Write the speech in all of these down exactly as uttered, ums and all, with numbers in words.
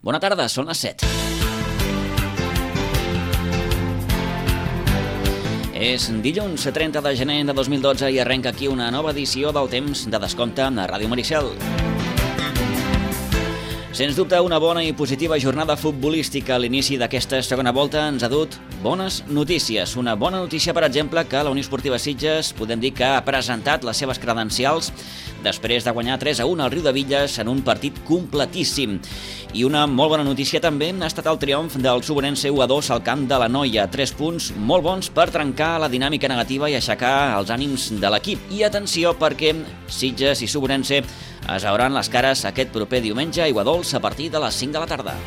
Bona tarda, són les set. És dilluns trenta de gener de dos mil dotze i arrenca aquí una nova edició del Temps de Descompte a Ràdio Maricel. Sens dubte, una bona i positiva jornada futbolística a l'inici d'aquesta segona volta ens ha dut bones notícies. Una bona notícia, per exemple, que la Unió Esportiva Sitges podem dir que ha presentat les seves credencials després de guanyar tres a u al Riudebitlles en un partit completíssim. I una molt bona notícia també ha estat el triomf del Subenense u a dos al camp de l'Anoia. Tres punts molt bons per trencar la dinàmica negativa i aixecar els ànims de l'equip. I atenció, perquè Sitges i Subenense es veuran les cares aquest proper diumenge a Aiguadols a partir de les cinc de la tarda.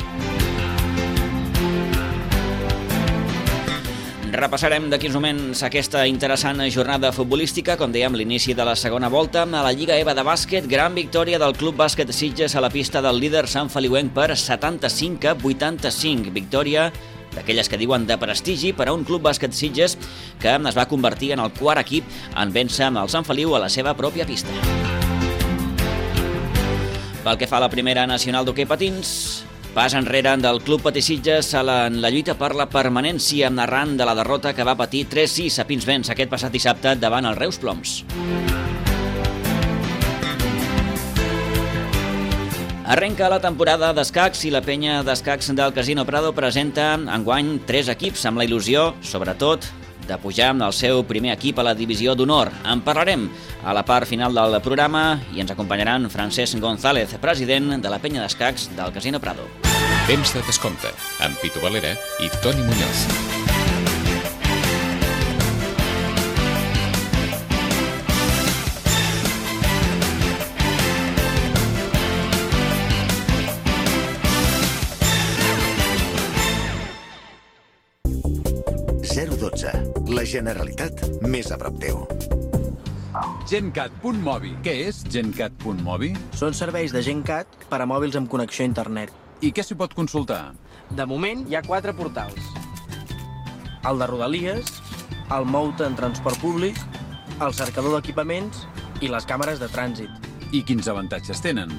Repassarem d'aquí uns moments aquesta interessant jornada futbolística, com dèiem, l'inici de la segona volta a la Lliga EVA de bàsquet. Gran victòria del Club Bàsquet Sitges a la pista del líder Sant Feliuenc per setanta-cinc a vuitanta-cinc. Victòria d'aquelles que diuen de prestigi per a un Club Bàsquet Sitges que es va convertir en el quart equip en vèncer el Sant Feliu a la seva pròpia pista. Pel que fa a la primera nacional d'hoquei patins, pas enrere del Club Patí Sitges en la, la lluita per la permanència arran de la derrota que va patir tres sis a Pinsbens aquest passat dissabte davant el Reus Ploms. Arrenca la temporada d'escacs i la penya d'escacs del Casino Prado presenta enguany tres equips amb la il·lusió, sobretot, de pujar amb el seu primer equip a la divisió d'honor. En parlarem a la part final del programa i ens acompanyaran Francesc González, president de la penya d'escacs del Casino Prado. Temps de Descompte, amb Pitu Valera i Toni Muñoz. zero dotze. La Generalitat més a prop teu. Gencat punt mobi. Què és Gencat punt mobi? Són serveis de Gencat per a mòbils amb connexió a internet. I què s'hi pot consultar? De moment hi ha quatre portals. El de Rodalies, el Mouta en transport públic, el cercador d'equipaments i les càmeres de trànsit. I quins avantatges tenen?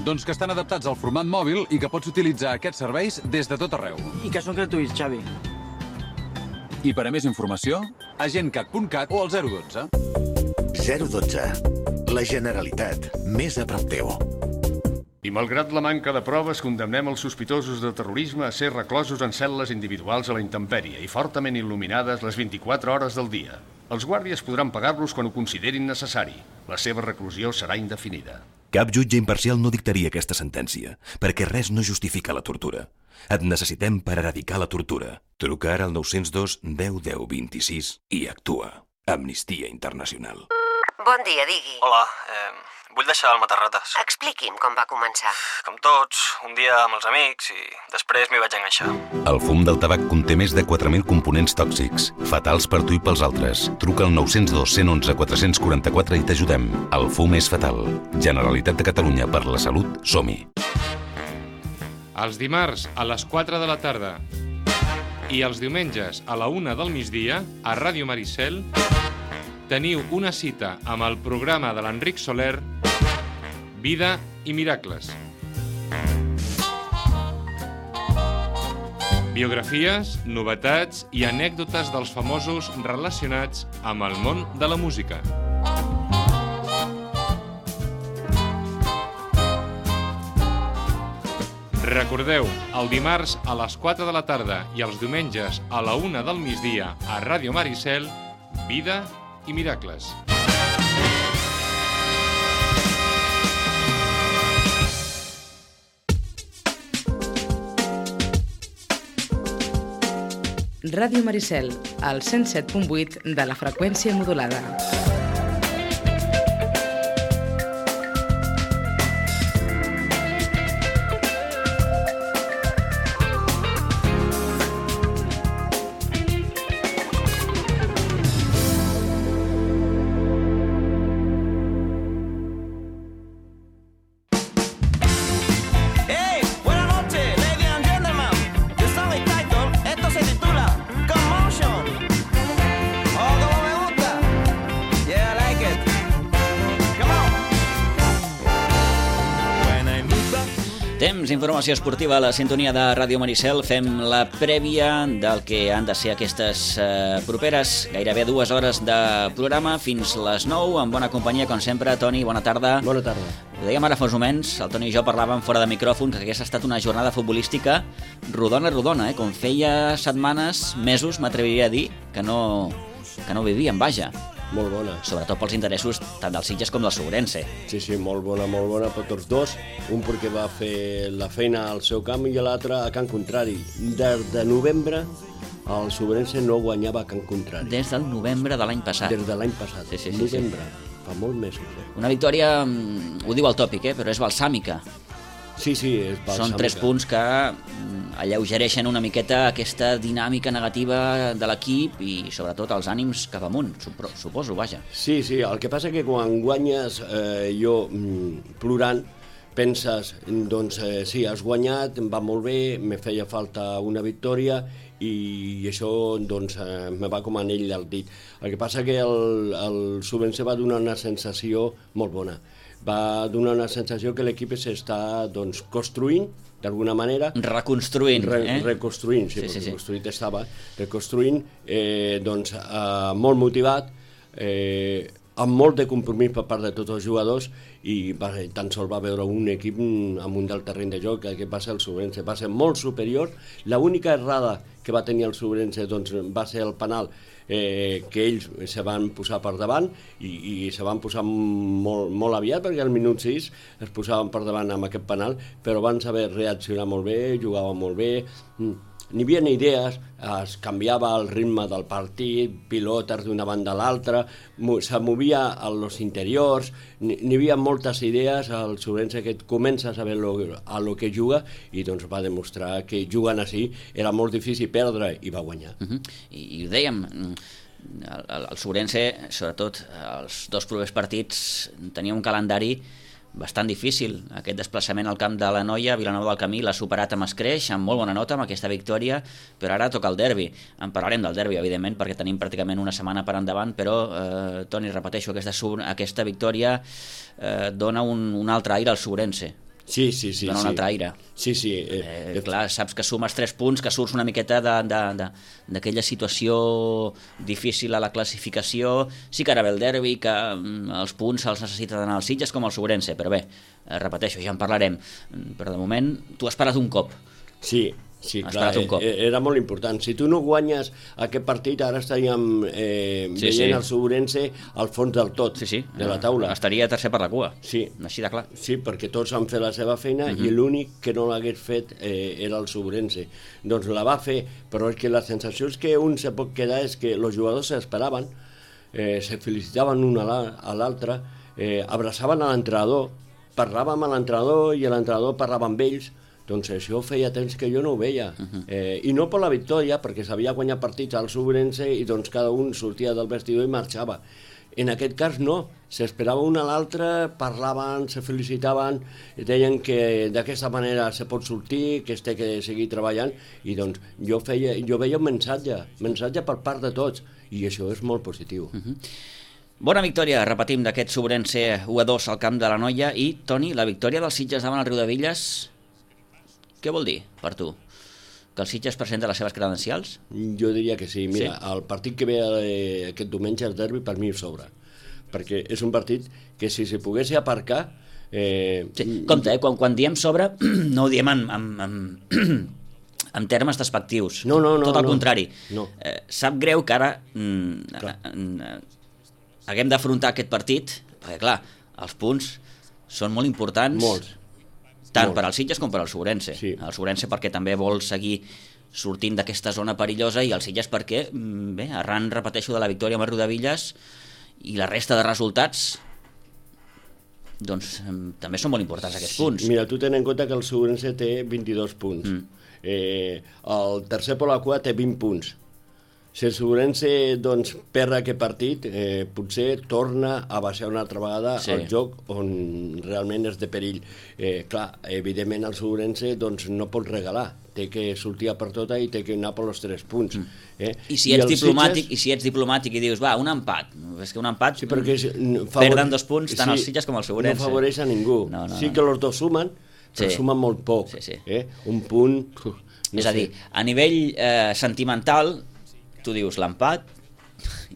Doncs que estan adaptats al format mòbil i que pots utilitzar aquests serveis des de tot arreu. I que són gratuïts, Xavi. I per a més informació, a gencat punt cat o al zero dotze. zero dotze. La Generalitat més a prop teu. I malgrat la manca de proves, condemnem els sospitosos de terrorisme a ser reclosos en cel·les individuals a la intempèrie i fortament il·luminades les vint-i-quatre hores del dia. Els guàrdies podran pagar-los quan ho considerin necessari. La seva reclusió serà indefinida. Cap jutge imparcial no dictaria aquesta sentència, perquè res no justifica la tortura. Et necessitem per eradicar la tortura. Truca ara al nou zero dos deu deu vint-i-sis i actua. Amnistia Internacional. Bon dia, digui. Hola, eh, vull deixar el matarrates. Expliqui'm com va començar. Com tots, un dia amb els amics i després m'hi vaig enganxar. El fum del tabac conté més de quatre mil components tòxics, fatals per tu i pels altres. Truca al nou zero dos, cent onze, quatre cents quaranta-quatre i t'ajudem. El fum és fatal. Generalitat de Catalunya, per la salut, som-hi. Els dimarts a les quatre de la tarda i els diumenges a la una del migdia a Ràdio Maricel teniu una cita amb el programa de l'Enric Soler, Vida i Miracles. Biografies, novetats i anècdotes dels famosos relacionats amb el món de la música. Recordeu, el dimarts a les quatre de la tarda i els diumenges a la una del migdia a Ràdio Maricel, Vida i Miracles. Ràdio Maricel, al cent set punt vuit de la freqüència modulada. Temps, informació esportiva a la sintonia de Ràdio Maricel. Fem la prèvia del que han de ser aquestes eh, properes gairebé dues hores de programa fins les nou, amb bona companyia, com sempre. Toni, bona tarda. Bona tarda. Ho dèiem ara fa uns moments, el Toni i jo parlàvem fora de micròfon que hagués estat una jornada futbolística rodona, rodona, eh? Com feia setmanes, mesos, m'atreviria a dir, que no, que no vivíem, vaja. Molt bona. Sobretot pels interessos tant del Sitges com del Sobrense. Sí, sí, molt bona, molt bona per tots dos. Un perquè va fer la feina al seu camp i l'altre a Can Contrari. Des de novembre el Sobrense no guanyava a Can Contrari. Des del novembre de l'any passat. Des de l'any passat, sí, sí, sí, novembre. Sí. Fa molt mesos. Eh? Una victòria, ho diu el tòpic, eh? Però és balsàmica. Sí, sí, és balsàmica. Són tres punts que alleugereixen una miqueta aquesta dinàmica negativa de l'equip i sobretot els ànims cap amunt, suposo, vaja. Sí, sí, el que passa que quan guanyes, eh, jo plorant, penses, doncs eh, sí, has guanyat, em va molt bé, me feia falta una victòria i això doncs eh, me va com anell al dit. El que passa que el, el Sobrense va donar una sensació molt bona. Va donar una sensació que l'equip s'està doncs, construint, d'alguna manera. Reconstruint, re, eh? Reconstruint, sí, sí, perquè sí, construït sí. estava. Reconstruint, eh, doncs, eh, molt motivat, eh, amb molt de compromís per part de tots els jugadors i va, tan sols va veure un equip amunt del terreny de joc, que va ser el Sobrense. Va ser molt superior. L'única errada que va tenir el Sobrense doncs, va ser el penal, eh, que ells se van posar per davant i, i se van posar molt, molt aviat, perquè al minut sis es posaven per davant amb aquest penal, però van saber reaccionar molt bé, jugaven molt bé, n'hi havia idees, es canviava el ritme del partit, pilotes d'una banda a l'altra, se movia a los interiors, n'hi havia moltes idees, el Sobrense que comença a saber lo, a lo que juga i doncs va demostrar que jugant així era molt difícil perdre i va guanyar. Uh-huh. I, I ho dèiem, el, el, el Sobrense, sobretot els dos propers partits, tenia un calendari bastant difícil. Aquest desplaçament al camp de la Noia, Vilanova del Camí, l'ha superat amb escreix, amb molt bona nota, amb aquesta victòria, però ara toca el derbi. En parlarem del derbi, evidentment, perquè tenim pràcticament una setmana per endavant, però, eh, Toni, repeteixo, aquesta, aquesta victòria eh, dona un, un altre aire al Sobrense. Sí, sí, sí. Dona un sí. altre aire. Sí, sí. Eh, eh, clar, saps que sumes tres punts, que surts una miqueta d'aquella situació difícil a la classificació. Sí que ara ve el derbi, que mm, els punts se'ls necessita d'anar als Sitges com al Sobrense, però bé, eh, repeteixo, ja en parlarem. Però de moment, tu has parat un cop. Sí, sí, has clar, un cop. Era molt important. Si tu no guanyes aquest partit, ara estaríem eh, sí, veient sí. el Sobrense al fons del tot, sí, sí. de la taula. Estaria tercer per la cua, sí. Així de clar. Sí, perquè tots han fet la seva feina uh-huh. i l'únic que no l'hagués fet eh, era el Sobrense. Doncs la va fer, però és que la sensació és que un se pot quedar és que els jugadors s'esperaven, eh, se felicitaven un a l'altre, eh, abraçaven a l'entrenador, parlàvem a l'entrenador i l'entrenador parlava amb ells. Doncs això feia temps que jo no ho veia. Uh-huh. eh, I no per la victòria, perquè s'havia guanyat partits al Sobrense i doncs cada un sortia del vestidor i marxava. En aquest cas no, s'esperava un a l'altre, parlaven, se felicitaven, deien que d'aquesta manera se pot sortir, que es té que seguir treballant, i doncs jo, feia, jo veia un mensatge, mensatge per part de tots, i això és molt positiu. Uh-huh. Bona victòria, repetim, d'aquest Sobrense u a dos al camp de la Noia. I, Toni, la victòria dels Sitges davant el Riudebitlles, què vol dir per tu? Que el Sitges presenta les seves credencials? Jo diria que sí. Mira, sí? El partit que ve eh, aquest diumenge, el derbi, per mi sobra. Perquè és un partit que si se pogués aparcar... Eh... Sí. Compte, eh? quan, quan diem sobre, no ho diem en, en, en, en termes despectius. No, no, no. Tot al no. contrari. No. Eh, sap greu que ara mm, eh, haguem d'afrontar aquest partit, perquè clar, els punts són molt importants. Molts. Tant Molt. per als Sitges com per al Sobrense. Sí. El Sobrense perquè també vol seguir sortint d'aquesta zona perillosa i el Sitges perquè, bé, arran, repeteixo, de la victòria amb el Riudebitlles i la resta de resultats, doncs també són molt importants aquests punts. Mira, tu ten en compte que el Sobrense té vint-i-dos punts. Mm. Eh, el tercer per la cua té vint punts. Si el Sobrense doncs, perd aquest partit, eh, potser torna a baixar una altra vegada sí. al joc on realment és de perill. Eh, clar, evidentment el Sobrense doncs, no pot regalar, té que sortir per tota i té que anar per els tres punts. Mm. Eh? I, si ets I, diplomàtic, Sitges... I si ets diplomàtic i dius, va, un empat, és que un empat sí, perquè favore... perden dos punts tant sí, els Sitges com el Sobrense. No favoreix a ningú. No, no, sí que els dos sumen, però Sí. suma molt poc. Sí, sí. Eh? Un punt... uf, no És a sé. dir, a nivell eh, sentimental, tu dius l'empat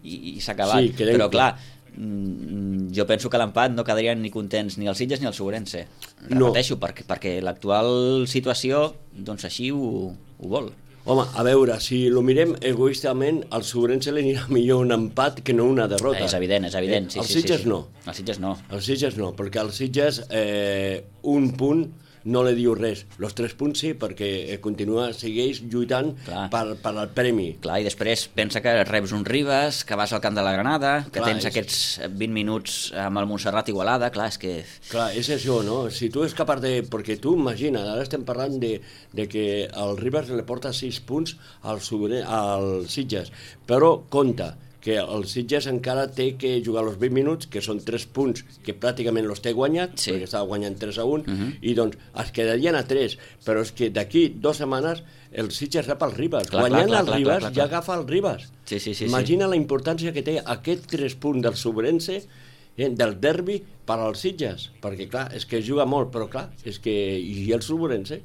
i, i s'ha acabat. Sí, quedem Però clar, clar. mm, jo penso que l'empat no quedarien ni contents ni els Sitges ni el Sobrense. No. Repeteixo, perquè, perquè l'actual situació doncs així ho, ho vol. Home, a veure, si lo mirem egoístament, al Sobrense li anirà millor un empat que no una derrota. És evident, és evident. Sí, els sí, Sitges sí, sí. no. Els Sitges no. Els Sitges no, perquè als Sitges eh, un punt no li diu res. Los tres punts sí, perquè eh, continua, segueix lluitant per, per al premi. Clar, i després pensa que reps un Ribes, que vas al camp de la Granada, que Clar, tens és- aquests vint minuts amb el Montserrat Igualada, clar, és que... Clar, és això, no? Si tu és capaç de... Perquè tu imagina, ara estem parlant de, de que el Ribas li porta sis punts al, Sobre, al Sitges, però compte que el Sitges encara té que jugar els vint minuts, que són tres punts que pràcticament els té guanyat, sí. perquè estava guanyant tres a un, Mhm. i doncs es quedarien a tres, però és que d'aquí dues setmanes el Sitges rep el Ribas. Clar, Guanyant clar, clar, el clar, Ribas clar, clar, ja clar. agafa el Ribas. Sí, sí, sí, Imagina la importància que té aquest tres punts del Sobrense, eh, del derbi per als Sitges, perquè clar, és que es juga molt, però clar, és que i el Sobrense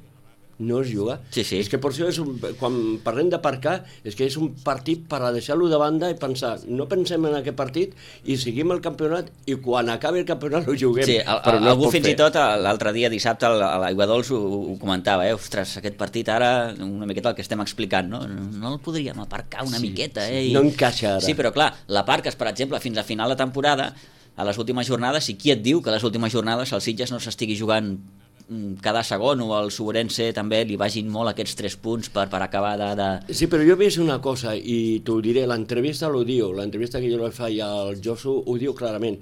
no es juga. Sí, sí. És que per això és un, quan parlem d'aparcar, és que és un partit per a deixar-lo de banda i pensar, no pensem en aquest partit i seguim el campionat i quan acabi el campionat ho juguem. Sí, el, però el, no es algú pot fins fer. i tot l'altre dia, dissabte, a l'Aigua Dols ho, ho comentava, eh? Ostres, aquest partit ara, una miqueta el que estem explicant, no? No el podríem aparcar una Sí, miqueta, sí. eh? I... No encaixa ara. Sí, però clar, l'aparques, per exemple, fins a final de temporada, a les últimes jornades, i qui et diu que a les últimes jornades el Sitges no s'estigui jugant mm, cada segon, o el Sobrense també li vagin molt aquests tres punts per, per acabar de... de... Sí, però jo he vist una cosa i t'ho diré, l'entrevista lo diu, l'entrevista que jo li faig al Josu ho diu clarament.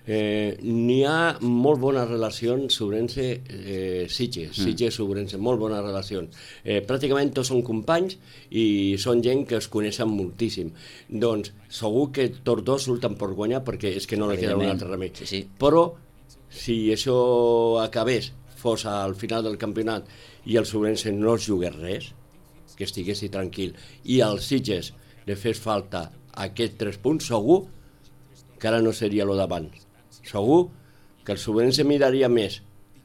Eh, n'hi ha molt bones relacions Sobrense eh, Sitges, Mm. Sitges Sobrense, molt bones relacions. Eh, pràcticament tots són companys i són gent que es coneixen moltíssim. Doncs segur que tots dos surten per guanyar perquè és que no li queda un Evidentment. altre remei. Sí, sí. Però si això acabés, fos al final del campionat i el Sobrense no es jugués res, que estiguessi tranquil, i als Sitges li fes falta aquests tres punts, segur que ara no seria lo d'abans. Segur que el Sobrense miraria més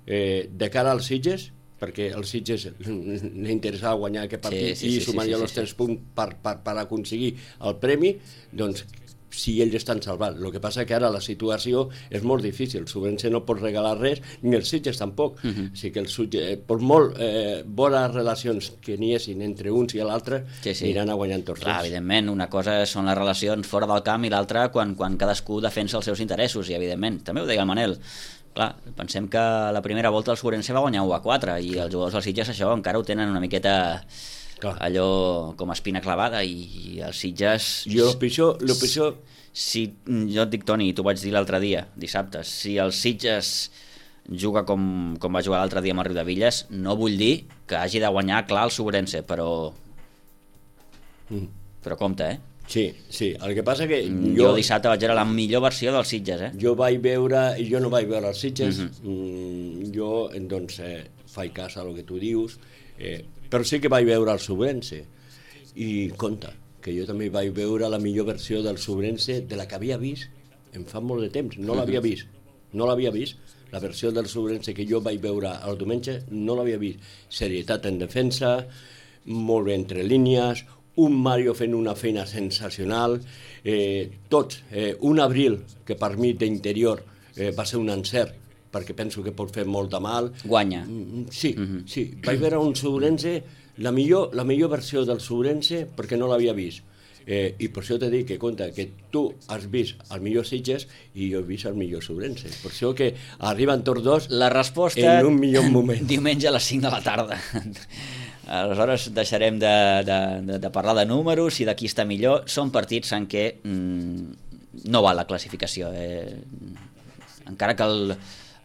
eh, de cara als Sitges, perquè als Sitges li interessava guanyar aquest partit Sí, sí, i sí, sí, sumaria sí, els sí, tres punts per, per, per aconseguir el premi, doncs si ells estan salvats. El que passa que ara la situació és molt difícil. El Sobrense no pot regalar res, ni els Sitges tampoc. Uh -huh. O sigui que el Sitges, eh, per molt eh, bones relacions que n'hi hessin entre uns i l'altre, Sí, sí. aniran a guanyar tots Clar, dos. evidentment, una cosa són les relacions fora del camp i l'altra quan, quan cadascú defensa els seus interessos, i evidentment, també ho deia el Manel, clar, pensem que a la primera volta el Sobrense va guanyar u a quatre i els jugadors dels Sitges això encara ho tenen una miqueta clar. Allò com a espina clavada, i, i els Sitges... Jo el pitjor, el pitjor... Si, jo et dic, Toni, i t'ho vaig dir l'altre dia, dissabte, si el Sitges juga com, com va jugar l'altre dia amb el Riudevilles, no vull dir que hagi de guanyar clar el Sobrense, però... Mm. Però compte, eh? Sí, sí, el que passa que Jo, jo, jo dissabte vaig veure la millor versió dels Sitges, eh? jo vaig veure, jo no vaig veure els Sitges, Mhm. mm, jo doncs eh, faig cas a lo que tu dius, eh, però sí que vaig veure el Sobrense, i compte, que jo també vaig veure la millor versió del Sobrense de la que havia vist en fa molt de temps, no l'havia Mhm. vist, no l'havia vist, la versió del Sobrense que jo vaig veure el diumenge no l'havia vist, serietat en defensa, molt bé entre línies, un Mario fent una feina sensacional, eh, tots, eh, un Abril, que per mi d'interior eh, va ser un encert, perquè penso que pot fer molt de mal. Guanya. Mm, sí, mm-hmm. sí, vaig veure un Sobrense, la millor, la millor versió del Sobrense, perquè no l'havia vist. Eh, I per això t'he dit que compte que tu has vist el millor Sitges i jo he vist el millor Sobrense. Per això que arriben tots dos la resposta en un millor moment. Diumenge a les cinc de la tarda. Aleshores deixarem de, de, de, de parlar de números i de qui està millor. Són partits en què mm, no val la classificació. Eh, encara que el,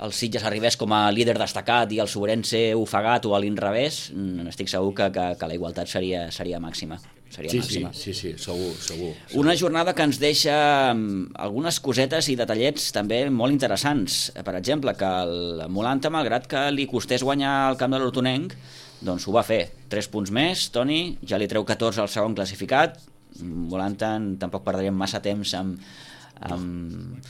el Sitges arribés com a líder destacat i el Sobrense ofegat o a l'inrevés, mm, estic segur que, que, que la igualtat seria, seria màxima. Seria Sí, màxima. sí, sí, sí, segur, segur. Una jornada que ens deixa mm, algunes cosetes i detallets també molt interessants. Per exemple, que el Molanta, malgrat que li costés guanyar el camp de l'Hortonenc, doncs ho va fer. Tres punts més, Toni, ja li treu catorze al segon classificat. Molanta tampoc perdríem massa temps amb, amb,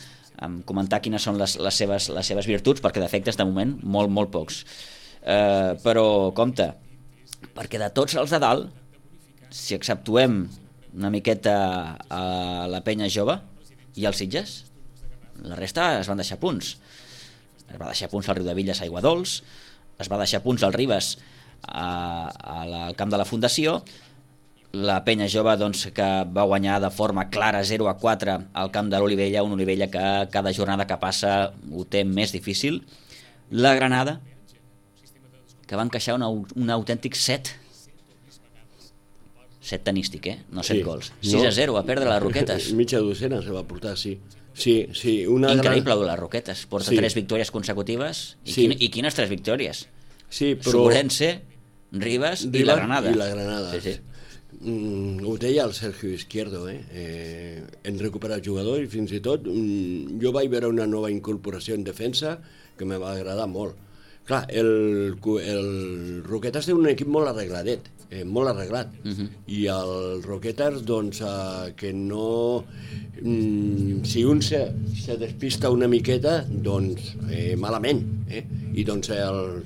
amb comentar quines són les, les, seves, les seves virtuts, perquè defectes de moment molt, molt pocs. eh, però compte, perquè de tots els de dalt, si exceptuem una miqueta a la penya jove i els Sitges, la resta es van deixar punts. Es va deixar punts al Riudevilles a Aiguadols, es va deixar punts al Ribes a, a la, al camp de la Fundació, la penya jove doncs, que va guanyar de forma clara zero a quatre al camp de l'Olivella, un Olivella que cada jornada que passa ho té més difícil. La Granada, que va encaixar una, un autèntic set set tenístic, eh? No set sí. gols. sis a zero, a perdre les Roquetes. Mitja docena se va portar, sí. Sí, sí, una increïble gran... les Roquetes. Porta sí. tres victòries consecutives. I, sí. quin, I quines tres victòries? Sí, però... Sobrense, Ribes, Ribes i la Granada. I la Granada. Sí, sí. Mm, ho deia el Sergio Izquierdo, eh? eh hem recuperat jugador i fins i tot mm, jo vaig veure una nova incorporació en defensa que me va agradar molt. Clar, el, el Roquetes té un equip molt arregladet, eh, molt arreglat, uh -huh. i el Roquetes, doncs, eh, que no... Mm, si un se, se despista una miqueta, doncs, eh, malament, eh? I doncs el,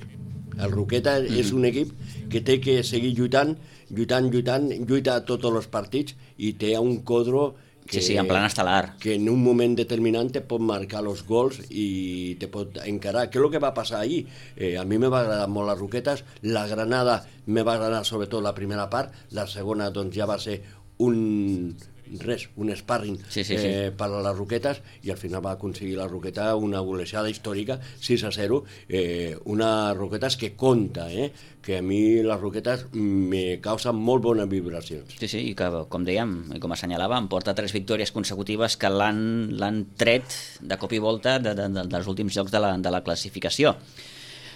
el Roquetes uh -huh. és un equip que té que seguir lluitant, lluitant, lluitant, lluita a tots els partits i té un Codro que, sí, sí, en plan estel·lar, que en un moment determinant te pot marcar els gols i te pot encarar. Què és el que va passar ahir? Eh, a mi me va agradar molt les Roquetes, la Granada me va agradar sobretot la primera part, la segona doncs ja va ser un... res, un sparring sí, sí, eh, sí. per a les Roquetes i al final va aconseguir la Roqueta una golejada històrica, sis a zero, eh, una Roquetes que compta, eh, que a mi les Roquetes me causen molt bones vibracions. Sí, sí, i que, com dèiem, i com assenyalàvem, porta tres victòries consecutives que l'han tret de cop i volta de, de, de, dels últims jocs de la, de la classificació.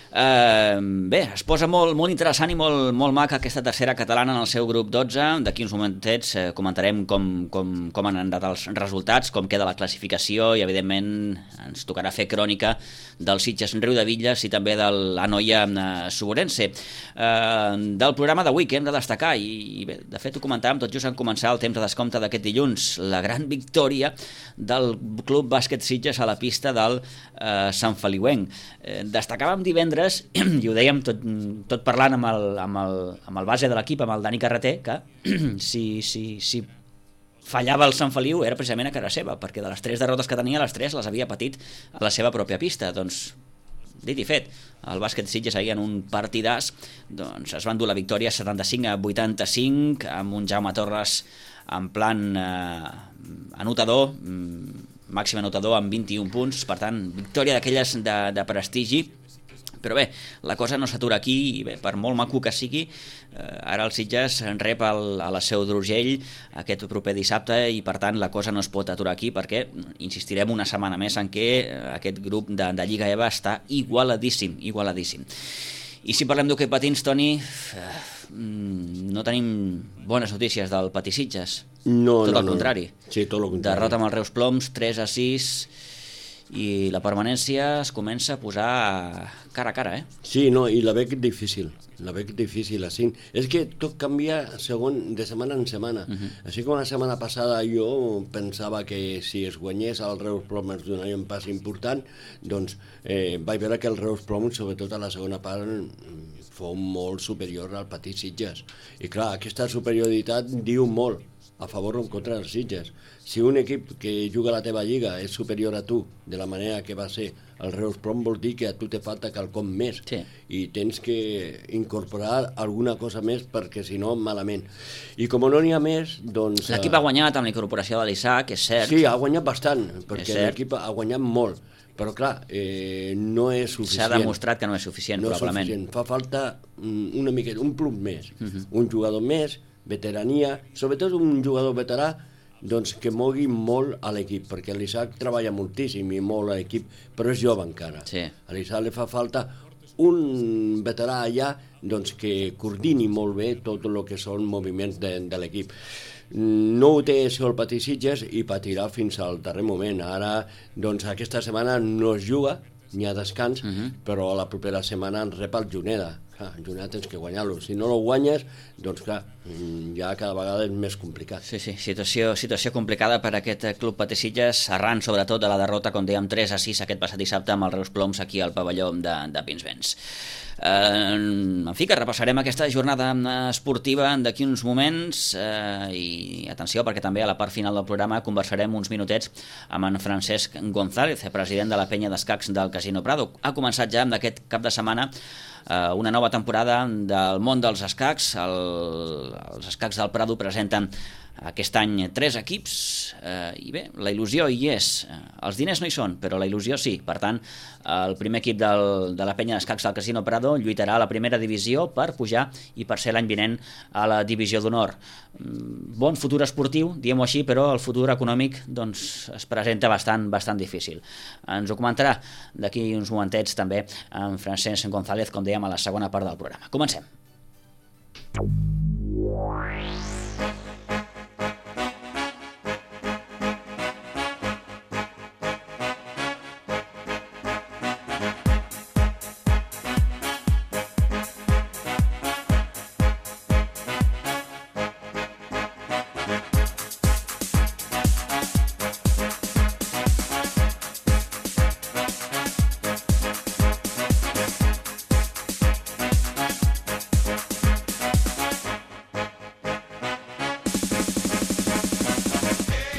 Uh, bé, es posa molt, molt interessant i molt, molt maca aquesta tercera catalana en el seu grup dotze. D'aquí uns momentets eh, comentarem com, com, com han anat els resultats, com queda la classificació i evidentment ens tocarà fer crònica del Sitges Riudevilles i també de l'Anoia eh, Suborense. Uh, del programa d'avui que hem de destacar i, i bé, de fet ho comentàvem tot just en començar el temps de descompte d'aquest dilluns, la gran victòria del Club Bàsquet Sitges a la pista del eh, Sant Feliuenc. Eh, destacàvem divendres i ho dèiem tot, tot parlant amb el, amb, el, amb el base de l'equip, amb el Dani Carreter, que si, si, si fallava el Sant Feliu era precisament a cara seva, perquè de les tres derrotes que tenia, les tres les havia patit a la seva pròpia pista. Doncs, dit i fet, el bàsquet Sitges ahir en un partidàs doncs es van dur la victòria setanta-cinc a vuitanta-cinc amb un Jaume Torres en plan eh, anotador, màxim anotador amb vint-i-un punts, per tant, victòria d'aquelles de, de prestigi. Però bé, la cosa no s'atura aquí i bé, per molt maco que sigui, eh, ara el Sitges rep el, a la Seu d'Urgell aquest proper dissabte i per tant la cosa no es pot aturar aquí perquè insistirem una setmana més en què aquest grup de, de Lliga EVA està igualadíssim, igualadíssim. I si parlem d'hoquei patins, Toni, eh, no tenim bones notícies del Patí Sitges. No, tot no, el no. contrari. Sí, tot el contrari. Derrota amb els Reus Ploms, tres a sis... i la permanència es comença a posar cara a cara, eh? Sí, no, i la veig difícil, la veig difícil, així. És que tot canvia segon, de setmana en setmana. Uh -huh. Així com la setmana passada jo pensava que si es guanyés el Reus Ploms ens donaria un pas important, doncs eh, vaig veure que el Reus Ploms, sobretot a la segona part, fou molt superior al Patí Sitges. I clar, aquesta superioritat diu molt a favor o en contra dels Sitges. Si un equip que juga a la teva lliga és superior a tu, de la manera que va ser el Reus Ploms, vol dir que a tu te falta quelcom més. Sí. I tens que incorporar alguna cosa més perquè si no, malament. I com no n'hi ha més, doncs... L'equip ha guanyat amb la incorporació de l'Isaac, és cert. Sí, ha guanyat bastant, perquè l'equip ha guanyat molt. Però clar, eh, no és suficient. S'ha demostrat que no és suficient, no probablement. És suficient. Fa falta una miqueta, un plus més. Uh -huh. Un jugador més, veterania, sobretot un jugador veterà, doncs que mogui molt a l'equip, perquè l'Isaac treballa moltíssim i molt a l'equip, però és jove encara. Sí. A l'Isaac li fa falta un veterà allà doncs, que coordini molt bé tot el que són moviments de, de l'equip. No ho té el Patí Sitges i patirà fins al darrer moment. Ara, doncs, aquesta setmana no es juga, n'hi ha descans, uh -huh. però la propera setmana en rep el Juneda. clar, el Juneda tens que guanyar-lo. Si no el guanyes, doncs clar, ja cada vegada és més complicat. Sí, sí, situació, situació complicada per a aquest club Patessillas, arran sobretot de la derrota, com dèiem, tres a sis aquest passat dissabte amb els Reus Ploms aquí al pavelló de, de Pinsbens. Eh, en fi, que repassarem aquesta jornada esportiva d'aquí uns moments eh, i atenció, perquè també a la part final del programa conversarem uns minutets amb en Francesc González, president de la penya d'escacs del Casino Prado. Ha començat ja amb aquest cap de setmana eh, una nova temporada del món dels escacs. El, els escacs del Prado presenten aquest any tres equips eh, i bé, la il·lusió hi és. Els diners no hi són, però la il·lusió sí. Per tant, el primer equip del, de la penya d'escacs del Casino Prado lluitarà a la primera divisió per pujar i per ser l'any vinent a la divisió d'honor. Bon futur esportiu, diguem-ho així, però el futur econòmic doncs, es presenta bastant, bastant difícil. Ens ho comentarà d'aquí uns momentets també en Francesc González, com dèiem a la segona part del programa. Comencem.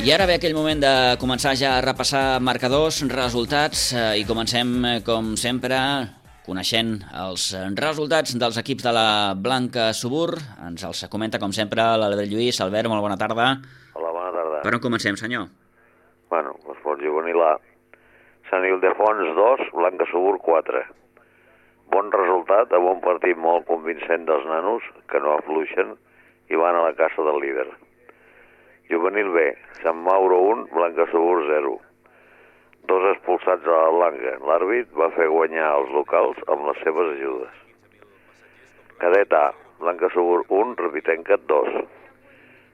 I ara ve aquell moment de començar ja a repassar marcadors, resultats, eh, i comencem, com sempre, coneixent els resultats dels equips de la Blanca Subur. Ens els comenta, com sempre, l'Albert Lluís. Albert, molt bona tarda. Hola, bona tarda. Per on comencem, senyor? Bueno, l'esport juvenil A. Sant Ildefons dos, Blanca Subur quatre. Bon resultat, amb un partit molt convincent dels nanos, que no afluixen i van a la caça del líder. Juvenil B, Sant Mauro un, Blanca Subur zero. Dos expulsats a la Blanca. L'àrbit va fer guanyar els locals amb les seves ajudes. Cadet A, Blanca Subur un, Repitenca dos.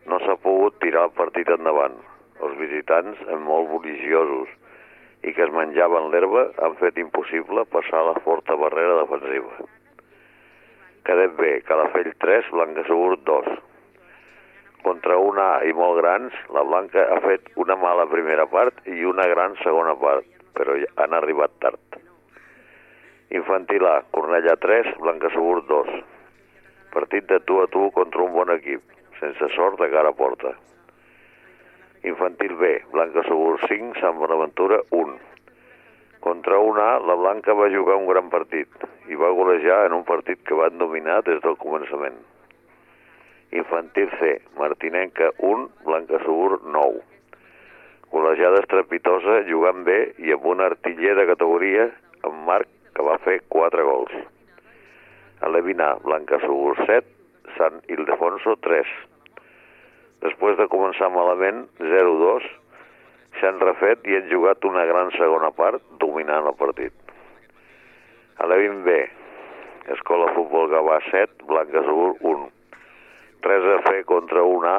No s'ha pogut tirar el partit endavant. Els visitants, molt religiosos i que es menjaven l'herba, han fet impossible passar la forta barrera defensiva. Cadet B, Calafell tres, Blanca Subur dos. Contra un A i molt grans, la Blanca ha fet una mala primera part i una gran segona part, però han arribat tard. Infantil A, Cornellà tres, Blanca Subur dos. Partit de tu a tu contra un bon equip, sense sort de cara a porta. Infantil B, Blanca Subur cinc, Sant Bonaventura un. Contra un A, la Blanca va jugar un gran partit i va golejar en un partit que van dominar des del començament. Infantil C, Martinenca un, Blanca Subur nou. Golejada estrepitosa, jugant bé i amb un artiller de categoria, amb Marc, que va fer quatre gols. Alevina, Blanca Subur set, Sant Ildefonso tres. Després de començar malament, zero dos, s'han refet i han jugat una gran segona part, dominant el partit. Alevin B, Escola Futbol Gavà set, Blanca Subur un. Res a fer contra un A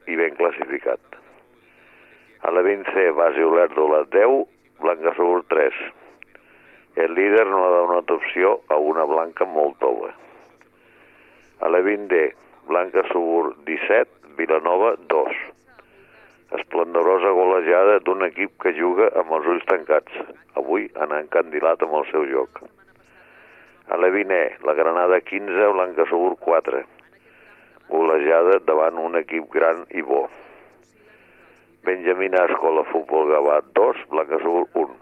i ben classificat. A la vint C, Basi Olèrdola deu, Blanca Subur tres. El líder no ha donat opció a una Blanca molt tova. A la vint D, Blanca Subur disset, Vilanova dos. Esplendorosa golejada d'un equip que juga amb els ulls tancats. Avui han encandilat amb el seu joc. A la vint E, la Granada quinze, Blanca Subur quatre. Golejada davant un equip gran i bo. Benjamina Escola Futbol Gavà dos, Blanca Subur un.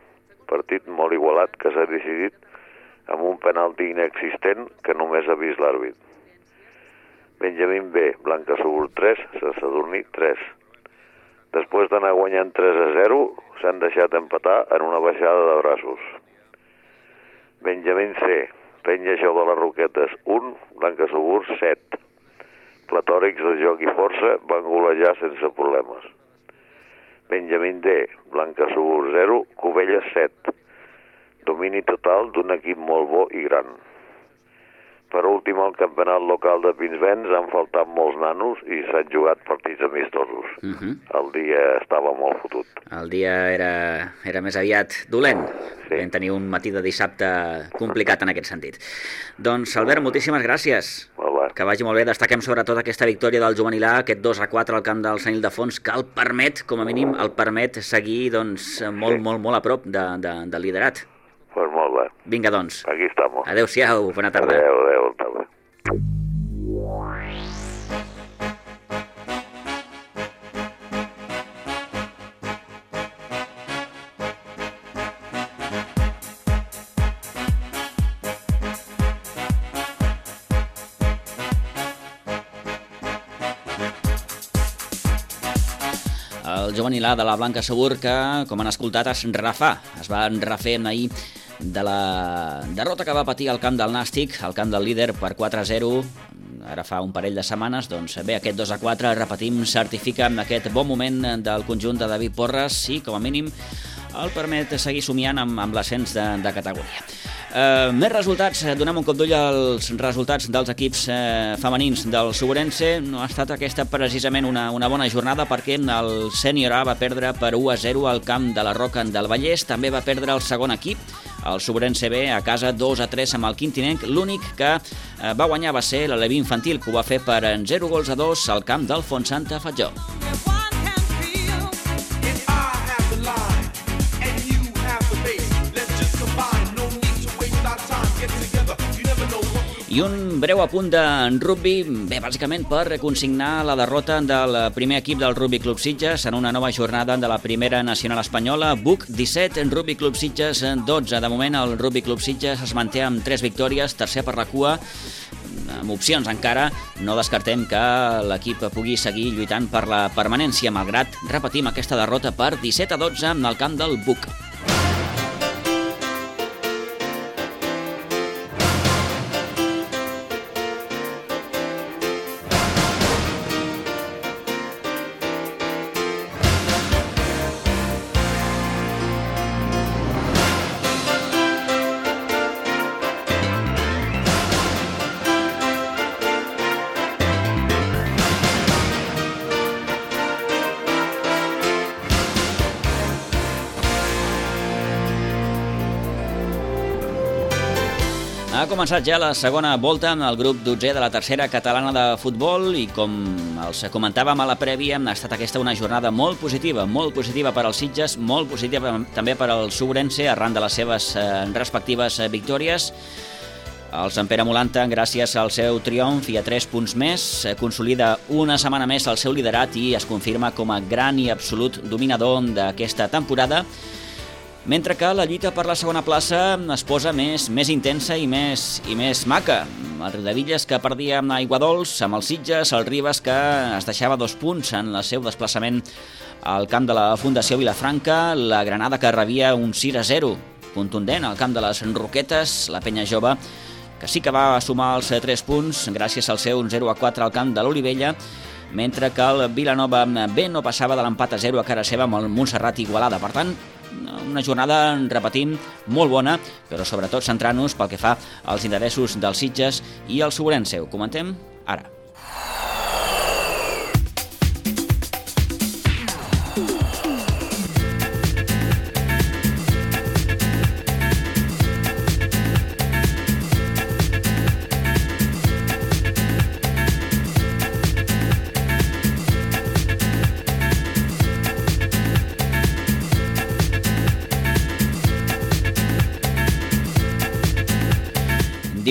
Partit molt igualat que s'ha decidit amb un penalti inexistent que només ha vist l'àrbit. Benjamín B, Blanca Subur tres, Sant Sadurní tres. Després d'anar guanyant tres a zero, s'han deixat empatar en una baixada de braços. Benjamín C, Penya Jou de les Roquetes un, Blanca Subur set. Platòrics de joc i força van golejar sense problemes. Benjamín D, Blanca Subur zero, Cubelles set. Domini total d'un equip molt bo i gran. Per últim, al campionat local de Pinsbens han faltat molts nanos i s'han jugat partits amistosos. Uh -huh. El dia estava molt fotut. El dia era, era més aviat dolent. Sí. Vam tenir un matí de dissabte complicat en aquest sentit. Doncs, Albert, moltíssimes gràcies. Hola. Que vagi molt bé. Destaquem sobretot aquesta victòria del juvenil A, aquest dos a quatre al camp del Sant Ildefons, que el permet, com a mínim, el permet seguir doncs, molt, sí. molt, molt a prop de, de, del liderat. Pues molt bé. Vinga, doncs. Aquí estamos. Adéu-siau, bona tarda. Adéu, adéu, bona tarda. El juvenil A de la Blanca Segur que, com han escoltat, es refà. Es va refer ahir de la derrota que va patir al camp del Nàstic, al camp del líder per quatre a zero, ara fa un parell de setmanes. Doncs bé, aquest dos a quatre, repetim, certifica aquest bon moment del conjunt de David Porres i, com a mínim, el permet seguir somiant amb, amb l'ascens de, de categoria. Uh, més resultats, donem un cop d'ull als resultats dels equips uh, femenins del Suburense. No ha estat aquesta precisament una, una bona jornada, perquè el sènior A va perdre per u a zero al camp de la Roca del Vallès. També va perdre el segon equip, el Suburense B, a casa dos a tres amb el Quintinenc. L'únic que uh, va guanyar va ser l'Aleví Infantil, que ho va fer per zero gols a dos al camp del Fontsanta Fatjó. I un breu apunt de rugby, bé, bàsicament per consignar la derrota del primer equip del Rugby Club Sitges en una nova jornada de la primera nacional espanyola. B U C disset, Rugby Club Sitges dotze. De moment el Rugby Club Sitges es manté amb tres victòries, tercer per la cua, amb opcions encara. No descartem que l'equip pugui seguir lluitant per la permanència, malgrat, repetim, aquesta derrota per disset a dotze en el camp del B U C. Ha començat ja la segona volta amb el grup dotzè de la tercera catalana de futbol i, com els comentàvem a la prèvia, ha estat aquesta una jornada molt positiva, molt positiva per als Sitges, molt positiva també per al Suburense arran de les seves eh, respectives eh, victòries. El Sant Pere Molanta, gràcies al seu triomf i a tres punts més, eh, consolida una setmana més el seu liderat i es confirma com a gran i absolut dominador d'aquesta temporada, mentre que la lluita per la segona plaça es posa més, més intensa i més, i més maca. El Riudevilles, que perdia amb Aiguadols, amb els Sitges, el Ribes, que es deixava dos punts en el seu desplaçament al camp de la Fundació Vilafranca, la Granada, que rebia un sis a zero contundent al camp de les Roquetes, la Penya Jove, que sí que va sumar els tres punts gràcies al seu zero a quatre al camp de l'Olivella, mentre que el Vilanova B no passava de l'empat a zero a cara seva amb el Montserrat Igualada. Per tant, una jornada, repetim, molt bona, però sobretot centrant-nos pel que fa als interessos dels Sitges i el Suburense. Ho comentem ara.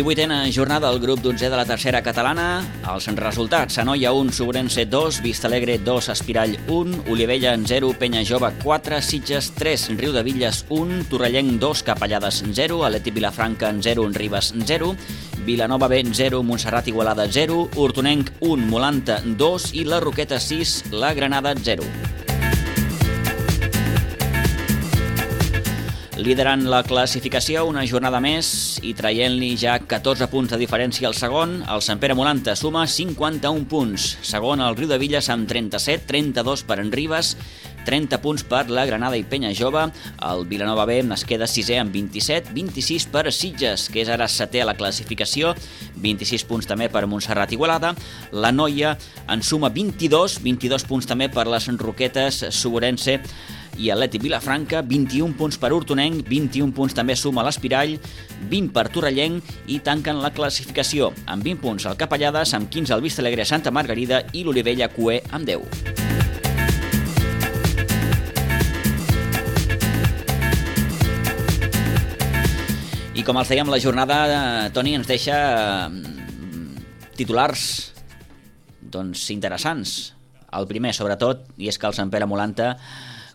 divuitena jornada del grup dotzè de la tercera catalana. Els resultats: Anoia un, Suburense dos, Vistalegre dos, Espirall un, Olivella zero, Penya Jove quatre, Sitges tres, Riudevilles un, Torrellenc dos, Capellades zero, Atlètic Vilafranca zero, Ribes zero, Vilanova B zero, Montserrat Igualada zero, Hortonenc un, Molanta dos i la Roqueta sis, la Granada zero. Liderant la classificació una jornada més i traient-li ja catorze punts de diferència al segon, el Sant Pere Molanta suma cinquanta-un punts. Segon, el Riudevilles amb trenta-set, trenta-dos per en Ribes, trenta punts per la Granada i Penya Jove. El Vilanova B es queda sisè amb vint-i-set, vint-i-sis per Sitges, que és ara setè a la classificació, vint-i-sis punts també per Montserrat Igualada. La Noia en suma vint-i-dos, vint-i-dos punts també per les Roquetes, Suborense i Atlètic Vilafranca, vint-i-un punts per Hortonenc, vint-i-un punts també suma l'Espirall, vint per Torrellenc i tanquen la classificació amb vint punts el Capellades, amb quinze el Vistalegre Santa Margarida i l'Olivella Cué amb deu. I com els dèiem, la jornada, Toni, ens deixa titulars doncs interessants. El primer, sobretot, i és que el Sant Pere Molanta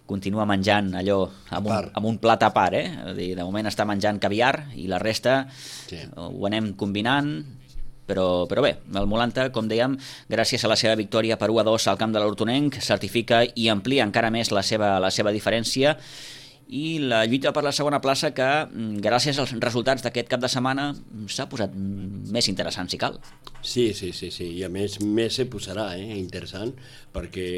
continua menjant allò amb un, amb un plat a part, eh? De moment està menjant caviar i la resta sí. Ho anem combinant, però, però bé, el Molanta, com dèiem, gràcies a la seva victòria per u a dos al camp de l'Hortonenc, certifica i amplia encara més la seva, la seva diferència, i la lluita per la segona plaça que, gràcies als resultats d'aquest cap de setmana, s'ha posat més interessant, si cal. Sí, sí, sí, sí. I a més, més se posarà, eh? Interessant, perquè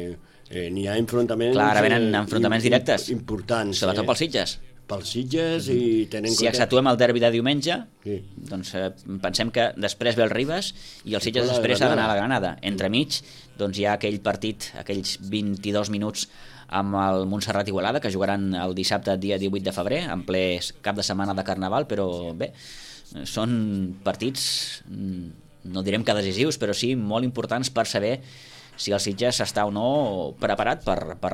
eh, n'hi ha enfrontaments... Clar, ara venen enfrontaments directes. Importants. Sobretot eh? pels Sitges. Pels Sitges i tenen... Si accentuem el derbi de diumenge, sí. doncs eh, pensem que després ve el Ribes i el Sitges després ha d'anar a la Granada. Entremig, doncs hi ha aquell partit, aquells vint-i-dos minuts amb el Montserrat Igualada, que jugaran el dissabte dia divuit de febrer, en ple cap de setmana de Carnaval, però bé, són partits, no direm que decisius, però sí molt importants per saber si el Sitges està o no preparat per, per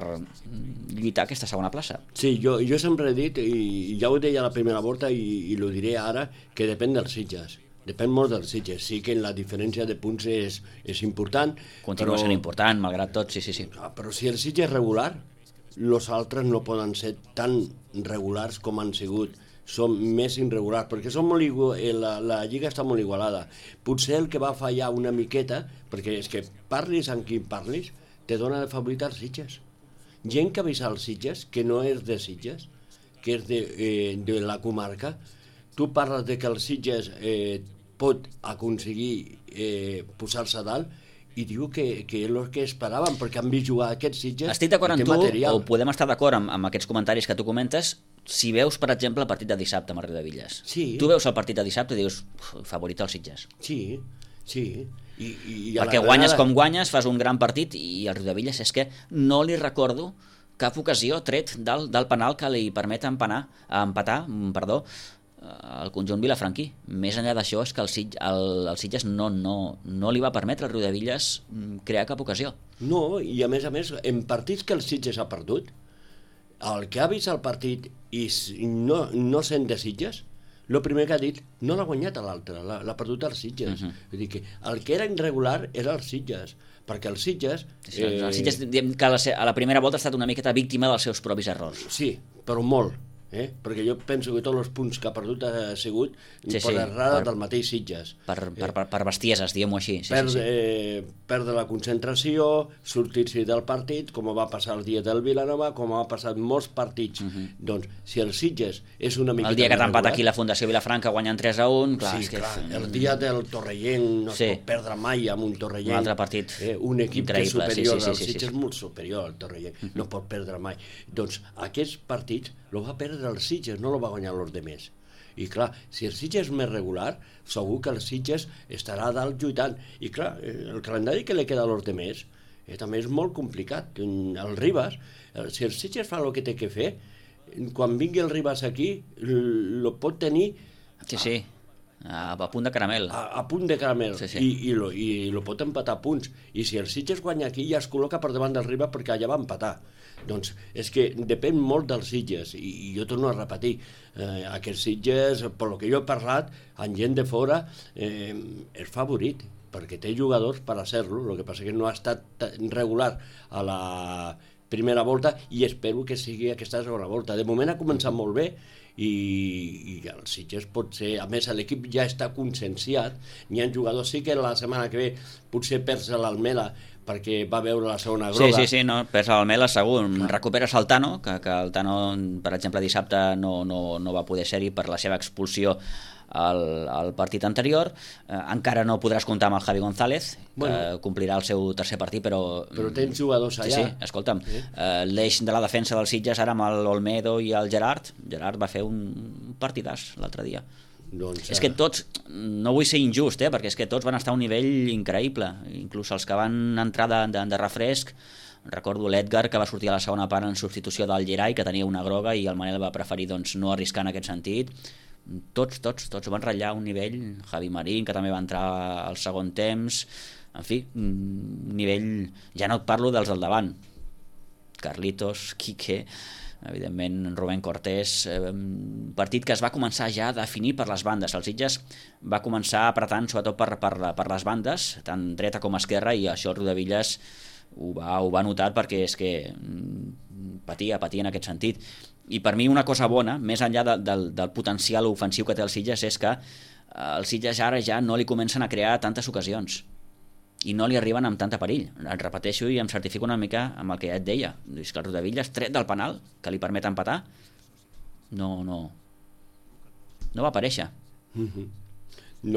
lluitar aquesta segona plaça. Sí, jo, jo sempre he dit, i ja ho deia a la primera volta i, i ho diré ara, que depèn dels Sitges. Depèn molt dels Sitges. Sí que la diferència de punts és, és important. Continua però... sent important, malgrat tot, sí, sí, sí. Però si el Sitges és regular, els altres no poden ser tan regulars com han sigut. Són més irregulars, perquè són molt igu... la, la lliga està molt igualada. Potser el que va fallar una miqueta, perquè és que parlis amb qui parlis, te dona de favorit als Sitges. Gent que ha vist als Sitges, que no és de Sitges, que és de, eh, de la comarca, tu parles de que el Sitges eh, pot aconseguir eh, posar-se a dalt i diu que, que és el que esperaven, perquè han vist jugar aquests Sitges. Estic d'acord amb tu, material. O podem estar d'acord amb, amb aquests comentaris que tu comentes, si veus, per exemple, el partit de dissabte amb el Riudebitlles. Sí. Tu veus el partit de dissabte i dius, favorit als Sitges. Sí, sí. I, i, i perquè guanyes com guanyes, fas un gran partit i el Riudebitlles és que no li recordo cap ocasió tret del, del penal que li permet empanar, empatar, perdó, el conjunt vilafranquí. Més enllà d'això és que el, Sitges, el, el Sitges no, no, no li va permetre al Riudebitlles crear cap ocasió. No, i a més a més, en partits que el Sitges ha perdut, el que ha vist el partit i no, no sent de Sitges, el primer que ha dit, no l'ha guanyat a l'altre, l'ha perdut als Sitges. Uh-huh. Vull dir que el que era irregular era els Sitges, perquè els Sitges... Sí, eh... El Sitges, diguem que a la, a la primera volta ha estat una miqueta víctima dels seus propis errors. Sí, però molt. Eh? Perquè jo penso que tots els punts que ha perdut ha sigut sí, per sí, errada per, del mateix Sitges. Per, per, per, per bestieses, diguem-ho així. Sí, perd, sí, sí. Eh, perdre la concentració, sortir-se del partit, com va passar el dia del Vilanova, com ha passat molts partits. Uh-huh. Doncs, si el Sitges és una mica... El dia que t'ha empatat aquí la Fundació Vilafranca guanyant tres a un, clar... Sí, és que... clar, el dia del Torrellenc no sí. es pot perdre mai amb un Torrellenc. Un altre partit eh, un equip que és superior, sí, sí, sí, el sí, Sitges sí. és molt superior al Torrellenc, uh-huh. no pot perdre mai. Doncs aquests partits el va perdre el Sitges, no el va guanyar els demés. I clar, si el Sitges és més regular, segur que el Sitges estarà a dalt lluitant. I clar, el calendari que li queda als demés eh, també és molt complicat. El Ribas, si el Sitges fa el que té que fer, quan vingui el Ribas aquí, el pot tenir... Sí, sí, a, a punt de caramel. A, a punt de caramel, sí, sí. I, i, lo, i lo pot empatar a punts. I si el Sitges guanya aquí, ja es col·loca per davant del Ribas perquè allà va empatar. Doncs és que depèn molt dels Sitges i, i jo torno a repetir eh, aquests Sitges, per lo que jo he parlat amb gent de fora, eh, és favorit perquè té jugadors per a ser-lo, el que passa que no ha estat regular a la primera volta i espero que sigui aquesta segona volta. De moment ha començat molt bé i, i el Sitges pot ser, a més l'equip ja està conscienciat, n'hi ha jugadors, sí que la setmana que ve potser perds l'Almeda perquè va veure la segona groga. Sí, sí, sí, no, perds l'Almela segur. Recuperes el Tano, que, que el Tano, per exemple, dissabte no, no, no va poder ser-hi per la seva expulsió al, al partit anterior. Eh, encara no podràs comptar amb el Javi González, bueno, que complirà el seu tercer partit, però... Però tens jugadors allà. Sí, sí, escolta'm, eh? eh, l'eix de la defensa dels Sitges ara amb l'Olmedo i el Gerard, Gerard va fer un partidàs l'altre dia. Doncs, és que tots, no vull ser injust, eh, perquè és que tots van estar a un nivell increïble, inclús els que van entrar de, de, de refresc. Recordo l'Edgar, que va sortir a la segona part en substitució del Gerai, que tenia una groga, i el Manel va preferir doncs, no arriscar en aquest sentit. Tots, tots, tots van ratllar un nivell. Javi Marín, que també va entrar al segon temps. En fi, un nivell... Ja no et parlo dels del davant. Carlitos, Quique... evidentment Rubén Cortés, eh, partit que es va començar ja a definir per les bandes. El Sitges va començar apretant sobretot per, per, per les bandes, tant dreta com esquerra, i això el Rodavillas ho va, ho va notar, perquè és que patia, patia en aquest sentit. I per mi una cosa bona, més enllà de, del, del potencial ofensiu que té el Sitges, és que el Sitges ara ja no li comencen a crear tantes ocasions i no li arriben amb tanta perill. Et repeteixo i em certifico una mica amb el que ja et deia. És que el Rodavillas, tret del penal, que li permet empatar, no, no, no va aparèixer. Mm-hmm.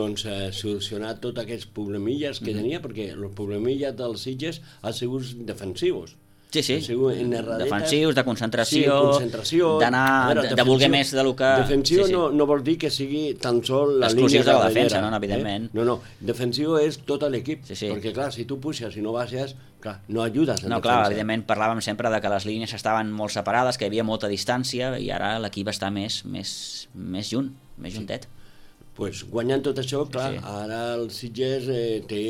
Doncs eh, solucionar tots aquests problemilles que mm-hmm. tenia, perquè els problemilles dels Sitges han sigut defensius. Sí, sí, defensius, de concentració, sí, concentració d'anar, de, de voler més del que... Defensiu sí, sí. No, no vol dir que sigui tan sol la exclusiu línia de la defensa, no, evidentment. Eh? No, no, defensiu és tot l'equip, sí, sí. perquè clar, si tu puixes i no baixes, clar, no ajudes en no, defensa. Clar, evidentment parlàvem sempre de que les línies estaven molt separades, que hi havia molta distància, i ara l'equip està més, més, més junt, més juntet. Pues guanyant tot això, clar, sí. Ara el Sitges eh, té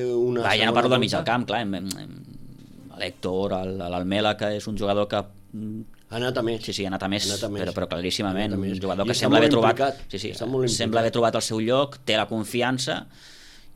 una... Va, ja no parlo del mig del camp, clar, hem, hem, l'Héctor, l'Almela, que és un jugador que... Ha anat a més. Sí, sí, ha anat a més, anat a més. Però, però claríssimament, un jugador que I sembla haver trobat... Implicat. Sí, sí, sembla haver trobat el seu lloc, té la confiança,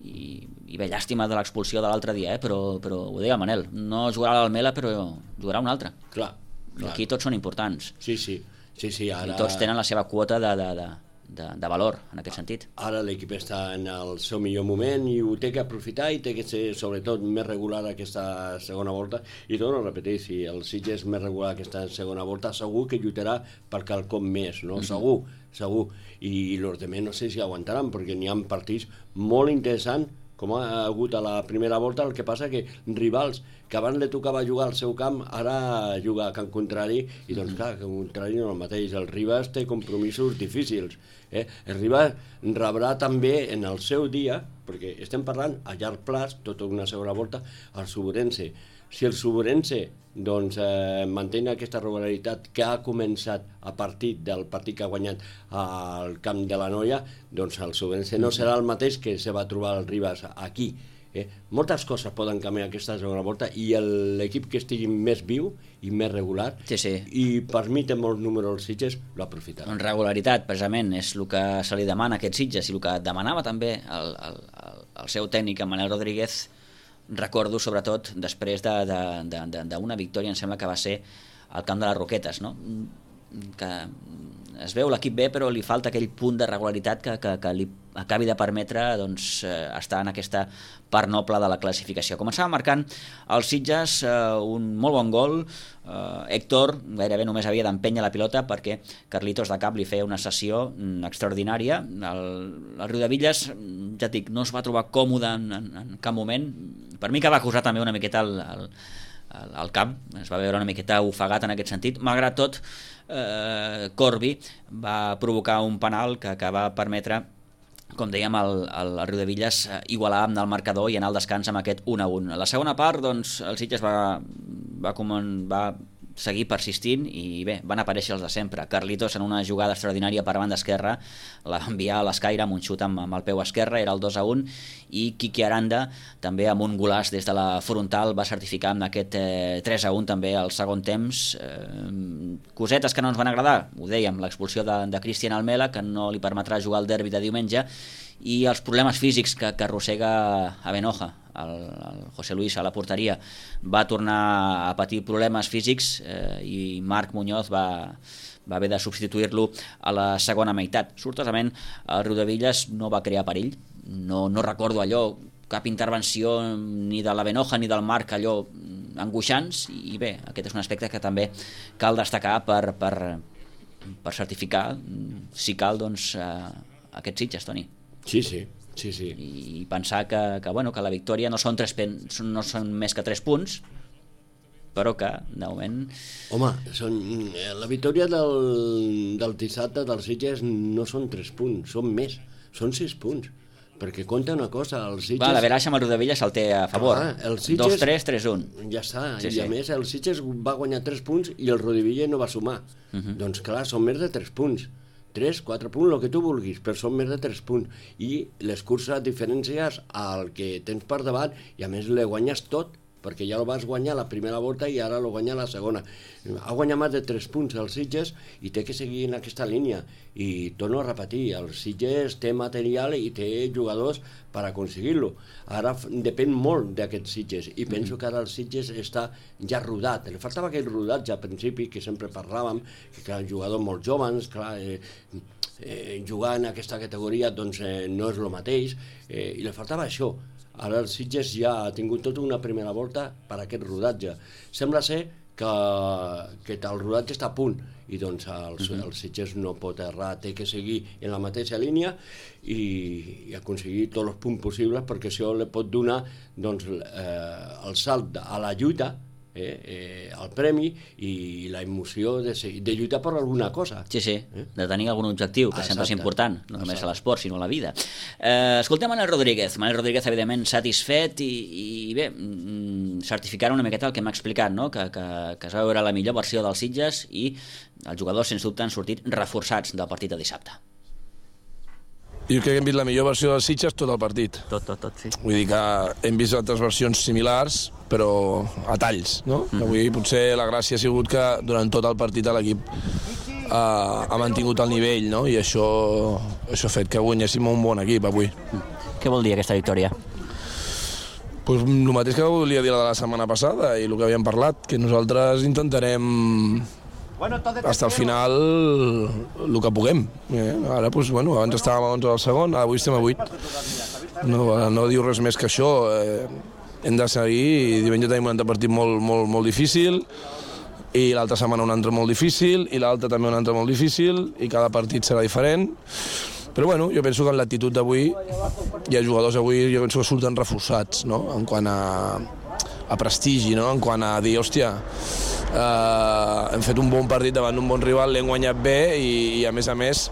i, i bé, llàstima de l'expulsió de l'altre dia, eh? però, però ho deia el Manel, no jugarà l'Almela, però jugarà un altre. Clar, clar. Aquí tots són importants. Sí, sí. sí, sí ara... I tots tenen la seva quota de... de, de De, de valor, en aquest sentit. Ara l'equip està en el seu millor moment i ho té que aprofitar i té que ser sobretot més regular aquesta segona volta, i torno a repetir, si el Sitges és més regular aquesta segona volta, segur que lluitarà per quelcom més, no? Mm-hmm. Segur, segur, i els altres no sé si aguantaran, perquè n'hi ha partits molt interessants com ha hagut a la primera volta. El que passa que rivals que abans li tocava jugar al seu camp, ara juga a camp contrari, i doncs clar, camp contrari no és el mateix. El Ribas té compromisos difícils. Eh? El Ribas rebrà també en el seu dia, perquè estem parlant a llarg plaç, tota una segona volta, el Suburense. Si el Suburense doncs, eh, manté aquesta regularitat que ha començat a partir del partit que ha guanyat al camp de la Noia, doncs el Suburense no serà el mateix que se va trobar el Ribas aquí. Eh? Moltes coses poden canviar aquesta segona volta, i l'equip que estigui més viu i més regular, sí, sí. i per mi té molts números els Sitges, l'aprofitarà. En regularitat, precisament, és el que se li demana a aquests Sitges, i el que demanava també el, el, el, el seu tècnic, Manel Rodríguez. Recordo sobretot després d'una de, de, de victòria, em sembla que va ser al camp de les Roquetes, no? Que es veu l'equip bé, però li falta aquell punt de regularitat que, que, que li acabi de permetre doncs, eh, estar en aquesta part noble de la classificació. Començava marcant els Sitges eh, un molt bon gol. eh, Héctor gairebé només havia d'empènyer la pilota perquè Carlitos de cap li feia una sessió mm, extraordinària. El, el Riudevilles, ja et dic, no es va trobar còmode en, en, en cap moment. Per mi que va acusar també una miqueta el, el, el, el camp, es va veure una miqueta ofegat en aquest sentit. Malgrat tot, eh, Corbi va provocar un penal que, que va permetre, com dèiem, el, el, el Riudevilles eh, igualar amb el marcador i anar al descans amb aquest un a un. A la segona part, doncs, el Sitges va, va, va seguir persistint, i bé, van aparèixer els de sempre. Carlitos, en una jugada extraordinària per banda esquerra, la va enviar a l'escaire amb un xut amb, amb el peu esquerre, era el dos a un, i Quique Aranda també amb un golaç des de la frontal va certificar amb aquest eh, tres a un també al segon temps. Eh, cosetes que no ens van agradar, ho dèiem, l'expulsió de, de Cristian Almela, que no li permetrà jugar el derbi de diumenge, i els problemes físics que, que arrossega a Benoja. El, el José Luis a la porteria va tornar a patir problemes físics, eh, i Marc Muñoz va, va haver de substituir-lo a la segona meitat. Sortosament el Riudevilles no va crear perill, no, no recordo allò cap intervenció ni de la Benoja ni del Marc allò angoixants, i bé, aquest és un aspecte que també cal destacar per, per, per certificar, si cal, doncs, eh, aquests Sitges, Toni. Sí, sí, sí, sí. I pensar que, que, bueno, que la victòria no són, tres pen, no són més que tres punts, però que, de moment... Home, són, la victòria del, del dissabte dels Sitges no són tres punts, són més, són sis punts. Perquè compta una cosa, els Sitges... Va, la Veraixa amb el Rodavilla se'l té a favor. Ah, Sitges... dos tres, tres un. Ja està, sí, i sí. a més el Sitges va guanyar tres punts i el Rodavilla no va sumar. Uh -huh. Doncs clar, són més de tres punts. tres, quatre punts, el que tu vulguis, però són més de tres punts. I les curses diferències al que tens per davant, i a més le guanyes tot, perquè ja el vas guanyar la primera volta i ara lo guanya la segona. Ha guanyat més de tres punts els Sitges i té que seguir en aquesta línia. I torno a repetir, el Sitges té material i té jugadors per aconseguir-lo. Ara depèn molt d'aquests Sitges i penso que ara el Sitges està ja rodat. Li faltava aquell rodatge al principi que sempre parlàvem, que eren jugadors molt joves, clar, eh, eh, jugar en aquesta categoria doncs, eh, no és el mateix, eh, i li faltava això. Ara el Sitges ja ha tingut tota una primera volta per aquest rodatge. Sembla ser que, que el rodatge està a punt i doncs el, uh-huh. el Sitges no pot errar, té que seguir en la mateixa línia i, i aconseguir tots els punts possibles, perquè això li pot donar doncs, eh, el salt a la lluita, eh, eh, el premi i la emoció de, de lluitar per alguna cosa. Sí, sí, eh? de tenir algun objectiu, que ah, sempre és important, no només exacte. A l'esport, sinó a la vida. Eh, escoltem Manel Rodríguez. Manel Rodríguez, evidentment, satisfet i, i bé, mm, certificar una miqueta el que m'ha explicat, no? que, que, que es va veure la millor versió dels Sitges i els jugadors, sens dubte, han sortit reforçats del partit de dissabte. Jo crec que hem vist la millor versió dels Sitges tot el partit. Tot, tot, tot, sí. Vull dir que hem vist altres versions similars, però a talls, no? Mm-hmm. Avui potser la gràcia ha sigut que durant tot el partit l'equip eh, ha mantingut el nivell, no? I això, això ha fet que guanyéssim un bon equip avui. Què vol dir aquesta victòria? Pues el mateix que volia dir la de la setmana passada i el que havíem parlat, que nosaltres intentarem hasta el final el que puguem. Eh? Ara, pues, bueno, abans estàvem a onze del segon, avui estem a vuit. No, no diu res més que això. Eh, hem de seguir i diumenge tenim un altre partit molt, molt, molt difícil i l'altra setmana un altre molt difícil i l'altre també un altre molt difícil i cada partit serà diferent. Però bueno, jo penso que en l'actitud d'avui hi ha jugadors avui, jo penso que surten reforçats, no? En quant a, a prestigi, no? En quant a dir, hòstia, eh, hem fet un bon partit davant d'un bon rival, l'hem guanyat bé i, i a més a més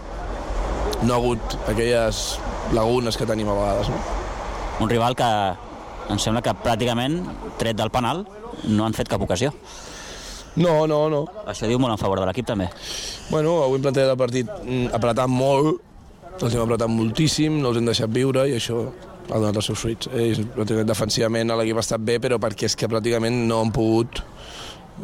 no ha hagut aquelles lagunes que tenim a vegades, no? Un rival que em sembla que pràcticament, tret del penal, no han fet cap ocasió. No, no, no. Això diu molt en favor de l'equip també. Bueno, avui hem plantejat el partit apretant molt, els hem apretat moltíssim, no els hem deixat viure i això ha donat els seus fruits. Ells, defensivament l'equip ha estat bé, però perquè és que pràcticament no han pogut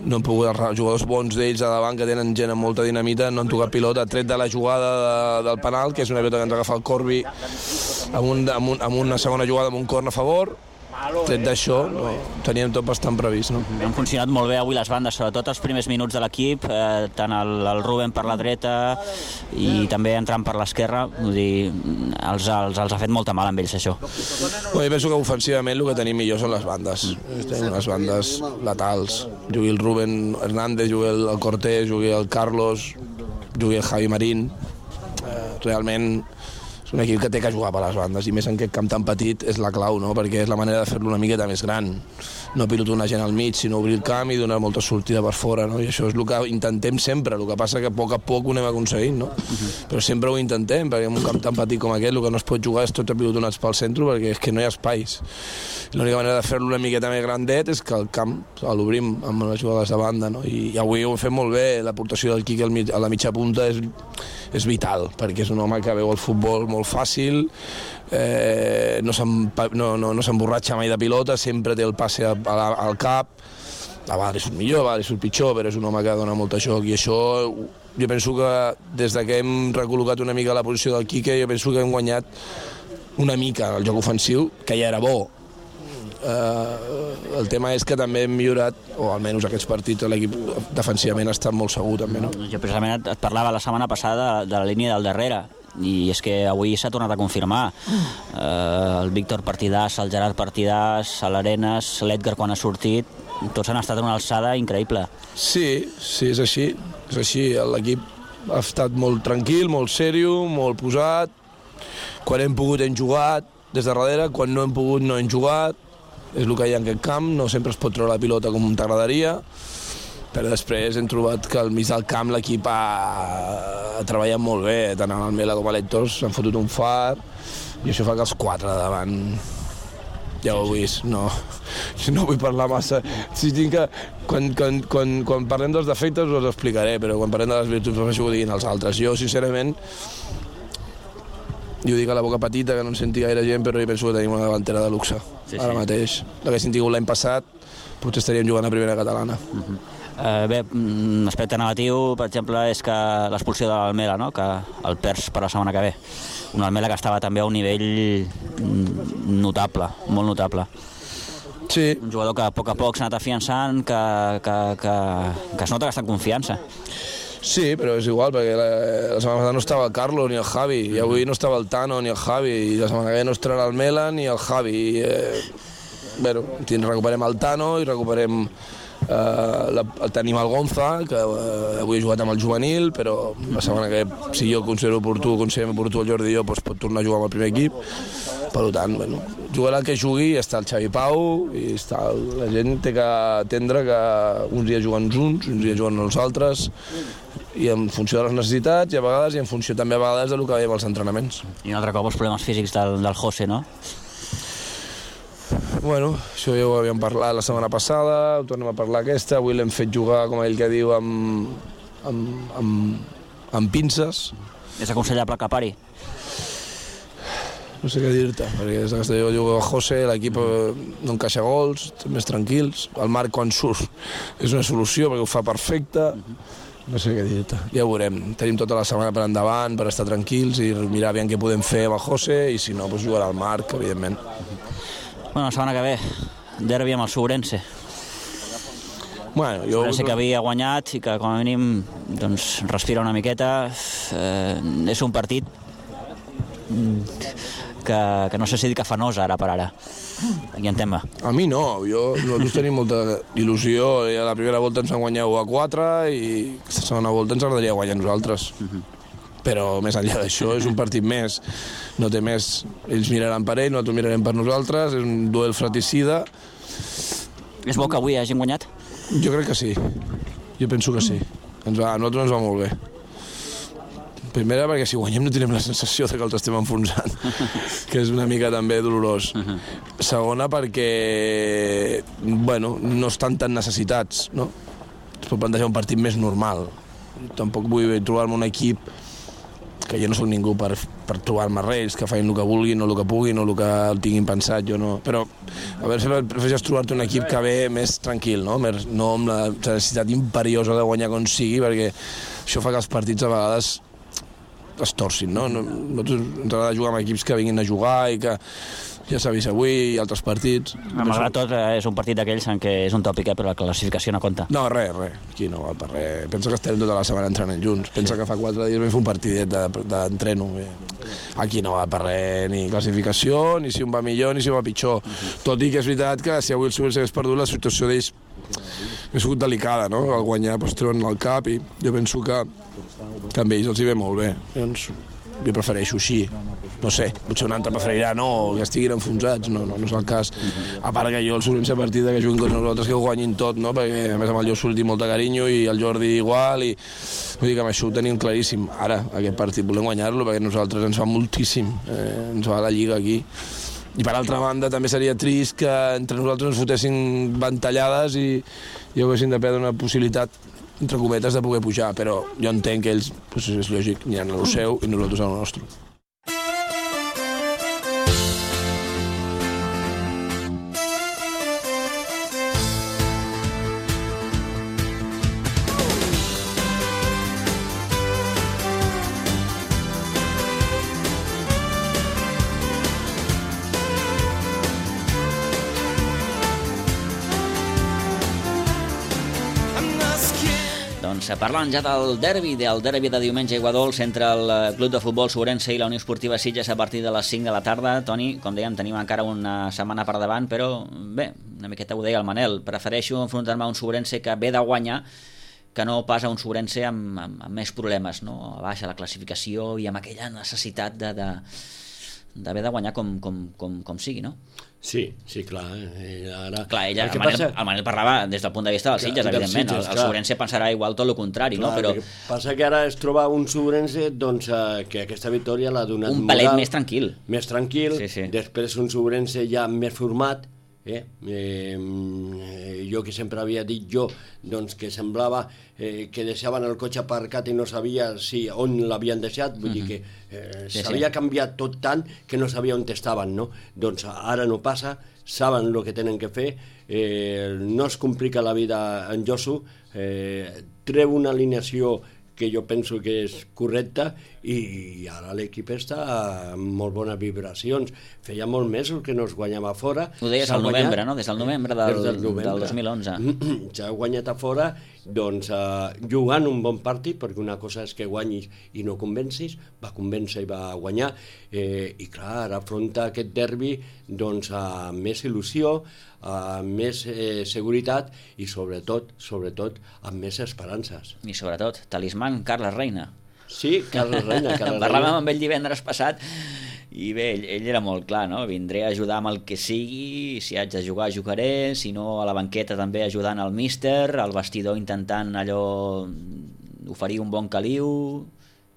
no han pogut, els jugadors bons d'ells a davant que tenen gent amb molta dinamita no han tocat pilota, tret de la jugada de, del penal, que és una pilota que ens agafa el Corbi amb, un, amb, un, amb una segona jugada amb un corn a favor. Tret d'això, no, teníem tot bastant previst. No? Han funcionat molt bé avui les bandes, sobretot els primers minuts de l'equip, eh, tant el, el Rubén per la dreta i també entrant per l'esquerra, vull dir, els, els, els ha fet molta mal amb ells, això. Bueno, jo penso que ofensivament el que tenim millor són les bandes. Mm. Tenim unes bandes letals. Jugui el Rubén Hernández, jugui el, el Cortés, jugui el Carlos, jugui el Javi Marín. Eh, realment un equip que té que jugar per les bandes, i més en aquest camp tan petit és la clau, no? Perquè és la manera de fer-lo una miqueta més gran. No pilotar una gent al mig, sinó obrir el camp i donar molta sortida per fora, no? I això és el que intentem sempre, el que passa que a poc a poc ho anem aconseguint, no? Uh-huh. Però sempre ho intentem, perquè en un camp tan petit com aquest el que no es pot jugar és tots pilotonats pel centre, perquè és que no hi ha espais. L'única manera de fer-lo una miqueta més grandet és que el camp l'obrim amb les jugades de banda, no? I, i avui ho hem fet molt bé, l'aportació del Quique a la mitja punta és, és vital, perquè és un home que veu el futbol molt fàcil, eh, no s'emborratxa no, no, no mai de pilota, sempre té el passe a, a, al cap, a vegades surt millor, a vegades surt pitjor, però és un home que dona molt joc, i això jo penso que des que hem recol·locat una mica la posició del Quique, jo penso que hem guanyat una mica el joc ofensiu, que ja era bo. Uh, el tema és que també hem millorat, o almenys aquests partits l'equip defensivament ha estat molt segur també, no? Jo precisament et, et parlava la setmana passada de la línia del darrere. i és que avui s'ha tornat a confirmar. Eh, el Víctor Partidàs, el Gerard Partidàs, l'Arenas, l'Edgar quan ha sortit, tots han estat en una alçada increïble. Sí, sí, és així. És així. L'equip ha estat molt tranquil, molt seriós, molt posat. Quan hem pogut hem jugat des de darrere, quan no hem pogut no hem jugat. És el que hi ha en aquest camp, no sempre es pot treure la pilota com t'agradaria, però després hem trobat que al mig del camp l'equip ha, ha treballat molt bé, tant el Mela com l'Hèctor s'han fotut un far, i això fa que els quatre de davant, ja ho heu vist, no, no vull parlar massa. Si tinc que, quan, quan, quan, quan parlem dels defectes us els explicaré, però quan parlem de les virtuts prefereixo que ho diguin els altres. Jo, sincerament, jo dic a la boca petita, que no en senti gaire gent, però jo penso que tenim una davantera de luxe, sí, ara sí. mateix. L'haguéssim tingut l'any passat, potser estaríem jugant a primera catalana. Uh-huh. Uh, bé, un aspecte negatiu, per exemple, és que l'expulsió de l'Almela, no? Que el perds per la setmana que ve. Un Almela que estava també a un nivell notable, molt notable. Sí. Un jugador que a poc a poc s'ha anat afiançant, que, que, que, que es nota que està en confiança. Sí, però és igual, perquè la, la setmana passada no estava el Carlos ni el Javi, i avui no estava el Tano ni el Javi, i la setmana que ve no estarà el Mela ni el Javi. I, eh, bueno, recuperem el Tano i recuperem... Uh, la, tenim el Gonza, que uh, avui he jugat amb el juvenil, però la setmana que si jo considero oportú, considerem oportú el Jordi i jo, doncs pot tornar a jugar amb el primer equip. Per tant, bueno, jugarà el que jugui, està el Xavi Pau, i està, la gent té que entendre que uns dies juguen junts, uns dies juguen els altres, i en funció de les necessitats, i a vegades, i en funció també a vegades de lo que veiem als entrenaments. I un altre cop els problemes físics del, del José, no? Bueno, això ja ho havíem parlat la setmana passada, ho tornem a parlar aquesta, avui l'hem fet jugar, com ell que diu, amb, amb, amb, amb pinces. És aconsellable que pari? No sé què dir-te, perquè des que jo jugo a José, l'equip no encaixa gols, més tranquils, el Marc quan surt és una solució perquè ho fa perfecte, no sé què dir-te, ja ho veurem, tenim tota la setmana per endavant per estar tranquils i mirar aviam què podem fer amb el José, i si no, doncs jugarà al Marc, evidentment. Bueno, la setmana que ve, derbi amb el Sourense. Bueno, jo... Sourense que havia guanyat i que, com a mínim, doncs, respira una miqueta. Eh, és un partit que, que no sé si dir que fanós ara per ara. Aquí en tema. A mi no, jo, nosaltres tenim molta il·lusió. A la primera volta ens han guanyat u a quatre i la segona volta ens agradaria guanyar nosaltres. Uh-huh. Però més enllà d'això és un partit més, no té més, ells miraran per ell, nosaltres mirarem per nosaltres, és un duel fratricida. És bo que avui hagin guanyat? Jo crec que sí, jo penso que sí, ens va, a nosaltres ens va molt bé. Primera perquè si guanyem no tenim la sensació de que els estem enfonsant, que és una mica també dolorós. Segona perquè, bueno, no estan tan necessitats, no? Es pot plantejar un partit més normal. Tampoc vull trobar-me un equip que jo no soc ningú per, per trobar-me res, que facin el que vulguin o el que puguin o el que el tinguin pensat, jo no. Però a veure, prefereixes trobar-te un equip que ve més tranquil, no? Més, no amb la necessitat imperiosa de guanyar com sigui, perquè això fa que els partits a vegades es torcin, no? Nosaltres ens agrada jugar amb equips que vinguin a jugar i que ja s'ha vist avui i altres partits. Malgrat tot, és un partit d'aquells en què és un tòpic, eh, però la classificació no compta. No, res, res. Aquí no val per res. Pensa que estem tota la setmana entrenant junts. Pensa que fa quatre dies vam fer un partidet d'entreno. Aquí no va per res, ni classificació, ni si un va millor, ni si un va pitjor. Tot i que és veritat que si avui el Sourense hagués perdut, la situació d'ells ha sigut delicada, no? Al guanyar pues, treuen el cap i jo penso que, que amb ells els hi ve molt bé. Llavors, jo prefereixo així. No sé, potser un altre preferirà no, que estiguin enfonsats, no, no, no és el cas. A part que jo el Sourense a partir que juguin contra nosaltres que ho guanyin tot, no? Perquè a més amb el Lluís surti molt de carinyo i el Jordi igual, i vull dir que amb això ho tenim claríssim. Ara, aquest partit volem guanyar-lo perquè nosaltres ens fa moltíssim, eh, ens va la Lliga aquí. I per altra banda també seria trist que entre nosaltres ens fotessin ventallades i, i haguessin de perdre una possibilitat entre cometes de poder pujar, però jo entenc que ells, doncs és lògic, aniran a lo seu i nosaltres a lo nostre. Doncs parlant ja del derbi, del derbi de diumenge a Aiguadols entre el Club de Futbol Sobrense i la Unió Esportiva Sitges a partir de les cinc de la tarda. Toni, com dèiem, tenim encara una setmana per davant, però bé, una miqueta ho deia el Manel, prefereixo enfrontar-me a un Sobrense que ve de guanyar que no pas a un Sobrense amb, amb, amb més problemes, no? A baixa la classificació i amb aquella necessitat de, de, d'haver de guanyar com, com, com, com sigui, no? Sí, sí, clar. Eh, ara... Clar, ella, el, el, Manel, passa... el Manel parlava des del punt de vista dels Sitges, evidentment. Sitges, el el Sobrense pensarà igual tot el contrari, clar, no? Però passa que ara es troba un Sobrense doncs, eh, que aquesta victòria l'ha donat un pelet moral, més tranquil. Més tranquil, sí, sí. Després un Sobrense ja més format. Eh? Eh, jo que sempre havia dit jo doncs, que semblava eh, que deixaven el cotxe aparcat i no sabia si, on l'havien deixat, vull uh-huh. dir que eh, sí, s'havia sí. canviat tot tant que no sabia on estaven, no? Doncs ara no passa, saben el que tenen que fer, eh, no es complica la vida en Josu, eh, treu una alineació que jo penso que és correcta i ara l'equip està amb molt bones vibracions. Feia molt mesos que no es guanyava a fora. Ho deies al novembre, no? Des del novembre del, del, novembre. del dos mil onze. S'ha guanyat a fora doncs, uh, jugant un bon partit, perquè una cosa és que guanyis i no convencis, va convèncer i va guanyar, eh, i clar, ara afronta aquest derbi doncs, amb més il·lusió, amb més eh, seguretat i sobretot, sobretot amb més esperances. I sobretot, talismant Carles Reina. Sí, Carles Reina. Carles Parlàvem Reina. amb ell divendres passat i bé, ell, ell era molt clar, no? Vindré a ajudar amb el que sigui, si haig de jugar, jugaré, si no a la banqueta també ajudant al míster, al vestidor intentant allò oferir un bon caliu.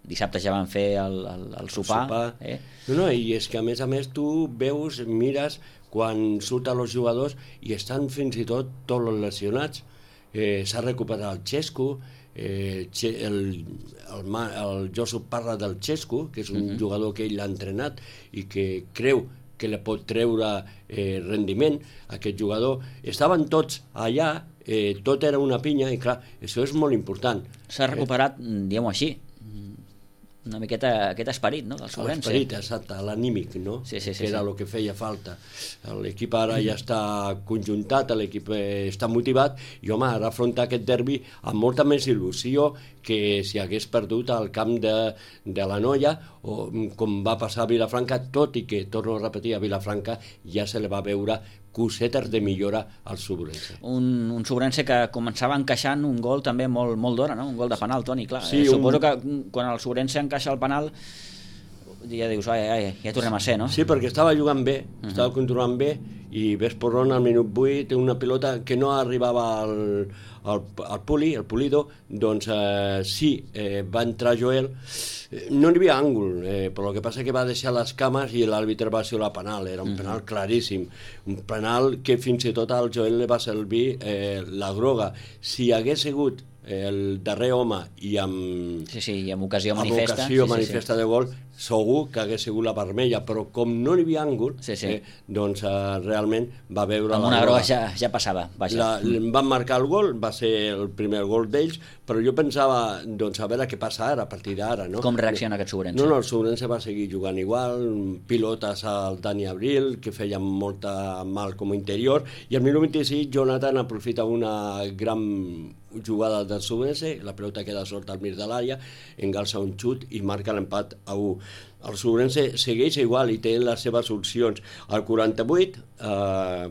Dissabte ja van fer el, el, el sopar. El sopar. Eh? No, no, i és que a més a més tu veus, mires quan surten els jugadors i estan fins i tot tots els lesionats. Eh, s'ha recuperat el Xesco, eh, el, el, el Josu parla del Xesco, que és un uh-huh. jugador que ell l'ha entrenat i que creu que li pot treure eh, rendiment a aquest jugador. Estaven tots allà, eh, tot era una pinya i clar, això és molt important. S'ha recuperat, eh? diguem-ho així, una miqueta aquest esperit, no?, del Sobrense. L'esperit, exacte, l'anímic, no?, sí, sí, sí, que era sí. el que feia falta. L'equip ara ja està conjuntat, l'equip està motivat, i home, ara afronta aquest derbi amb molta més il·lusió que si hagués perdut al camp de, de la Noia, o com va passar a Vilafranca, tot i que, torno a repetir, a Vilafranca ja se li va veure cosetes de millora al Sobrense. Un, un Sobrense que començava encaixant un gol també molt, molt d'hora, no? Un gol de penal, Toni, clar. Sí, eh, suposo un... que quan el Sobrense encaixa el penal ja dius, ai, ai, ja tornem a ser, no? Sí, perquè estava jugant bé, uh-huh. estava controlant bé, i ves per on al minut vuit una pilota que no arribava al, al, al Puli, el Pulido, doncs eh, sí, eh, va entrar Joel, eh, no hi havia àngul, eh, però el que passa que va deixar les cames i l'àrbitre va xiular penal, era un uh-huh. penal claríssim, un penal que fins i tot al Joel li va servir eh, la groga. Si hagués sigut el darrer home i amb, sí, sí, i amb ocasió manifesta, amb ocasió sí, manifesta sí, sí. de gol, segur que hagués sigut la vermella, però com no hi havia àngul, sí, sí. Eh, doncs eh, realment va veure... Amb una groga ja, ja passava. Vaja. La, van marcar el gol, va ser el primer gol d'ells, però jo pensava, doncs, a veure què passa ara, a partir d'ara, no? Com reacciona aquest Sobrense? No, no, el Sobrense va seguir jugant igual, pilotes al Dani Abril, que feien molta mal com a interior, i al minut vint-i-sis Jonathan aprofita una gran jugada del Sobrense, la pelota queda sorta al mig de l'àrea, engalça un xut i marca l'empat a u. El Sobrense segueix igual i té les seves opcions. Al quaranta-vuit, eh,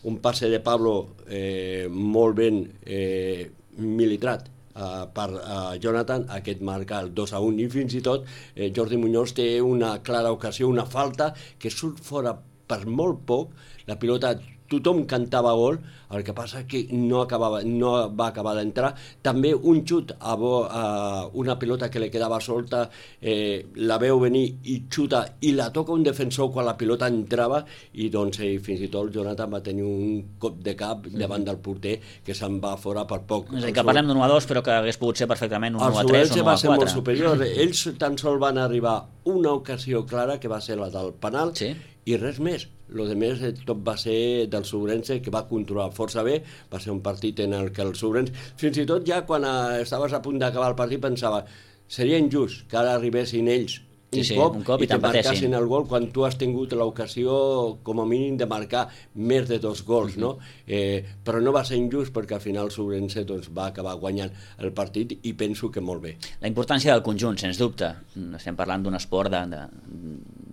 un passe de Pablo eh, molt ben eh, militrat eh, per eh, Jonathan, aquest marca el dos a un, i fins i tot eh, Jordi Muñoz té una clara ocasió, una falta que surt fora per molt poc, la pilota tothom cantava gol, el que passa que no, acabava, no va acabar d'entrar. També un xut a, bo, a una pilota que li quedava solta, eh, la veu venir i xuta i la toca un defensor quan la pilota entrava, i doncs eh, fins i tot Jonathan va tenir un cop de cap davant del porter que se'n va fora per poc. És a dir, que parlem d'un u a dos, però que hagués pogut ser perfectament un u a tres o un u a quatre. El Sobrense va ser molt superior. Ells tan sols van arribar una ocasió clara, que va ser la del penal, sí. i res més. Lo de més tot va ser del Sobrense, que va controlar força bé, va ser un partit en el que el Sobrense, fins i tot ja quan estaves a punt d'acabar el partit pensava, seria injust que ara arribessin ells un, sí, cop, un cop i i te t'empatessin. marcassin el gol quan tu has tingut l'ocasió com a mínim de marcar més de dos gols, no? Eh, però no va ser injust perquè al final Sobrense doncs, va acabar guanyant el partit i penso que molt bé. La importància del conjunt, sens dubte. Estem parlant d'un esport de, de,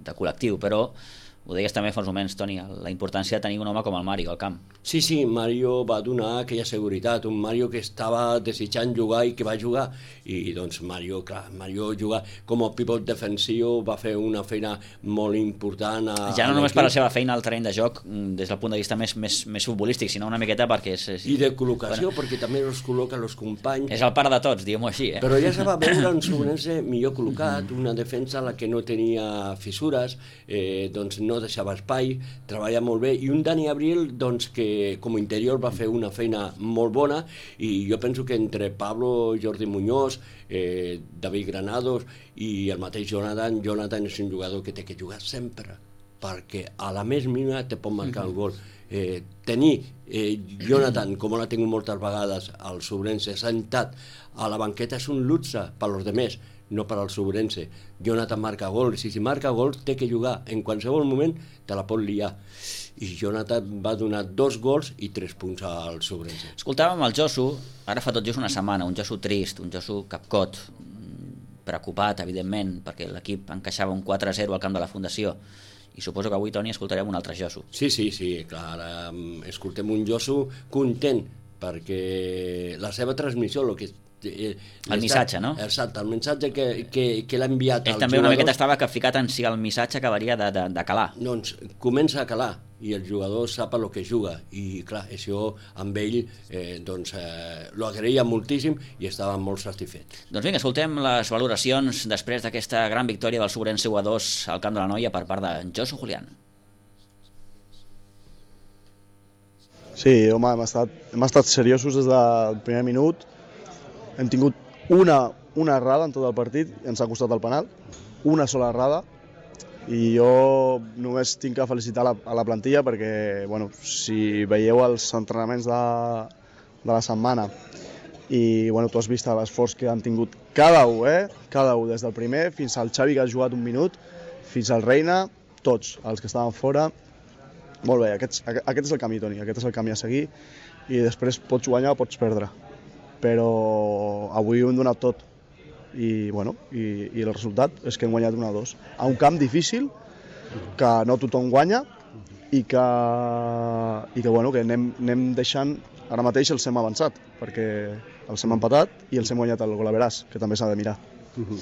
de col·lectiu, però ho deies també fa uns moments, Toni, la importància de tenir un home com el Mario al camp. Sí, sí, Mario va donar aquella seguretat, un Mario que estava desitjant jugar i que va jugar, i doncs Mario, clar, Mario jugar com a pivot defensiu, va fer una feina molt important. A, ja no només per la seva feina al terreny de joc, des del punt de vista més, més, més futbolístic, sinó una miqueta perquè és... és I de col·locació, bueno, perquè també els col·loca els companys. És el pare de tots, diguem-ho així. Eh? Però ja se va veure un Sobrense millor col·locat, una defensa a la que no tenia fissures, eh, doncs no deixava espai, treballa molt bé, i un Dani Abril doncs, que com a interior va fer una feina molt bona, i jo penso que entre Pablo, Jordi Muñoz, eh, David Granados i el mateix Jonathan, Jonathan és un jugador que té que jugar sempre, perquè a la més mínima te pot marcar el gol. Eh, tenir eh, Jonathan, com l'ha tingut moltes vegades al Sobrense, sentat a la banqueta és un luxe per als demés, no per al Sobrense. Jonathan marca gols, i si marca gols té que jugar, en qualsevol moment te la pot liar. I Jonathan va donar dos gols i tres punts al Sobrense. Escoltàvem el Josu, ara fa tot just una setmana, un Josu trist, un Josu capcot, preocupat, evidentment, perquè l'equip encaixava un quatre a zero al camp de la Fundació, i suposo que avui, Toni, escoltarem un altre Josu. Sí, sí, sí, clar, ara escoltem un Josu content, perquè la seva transmissió, el que el missatge, no? Exacte, el missatge que, que, que l'ha enviat ell als també jugadors, una miqueta estava capficat en si el missatge acabaria de, de, de calar. Doncs comença a calar i el jugador sap el que juga, i clar, això amb ell eh, doncs eh, lo agraïa moltíssim i estava molt satisfet. Doncs vinga, escoltem les valoracions després d'aquesta gran victòria del Sobrense u a dos al camp de la Noia per part de Josu Julián. Sí, home, hem estat, hem estat seriosos des del primer minut. Hem tingut una, una errada en tot el partit i ens ha costat el penal, una sola errada, i jo només tinc que felicitar la, a la plantilla perquè, bueno, si veieu els entrenaments de, de la setmana i bueno, tu has vist l'esforç que han tingut cada un, eh? cada un, des del primer fins al Xavi que ha jugat un minut, fins al Reina, tots els que estaven fora. Molt bé, aquest, aquest és el camí, Toni, aquest és el camí a seguir, i després pots guanyar o pots perdre. Però avui ho hem donat tot i, bueno, i, i el resultat és que hem guanyat un a dos a un camp difícil que no tothom guanya i que, i que, bueno, que anem, anem deixant, ara mateix els hem avançat perquè els hem empatat i els hem guanyat el gol a veràs, que també s'ha de mirar. Uh-huh.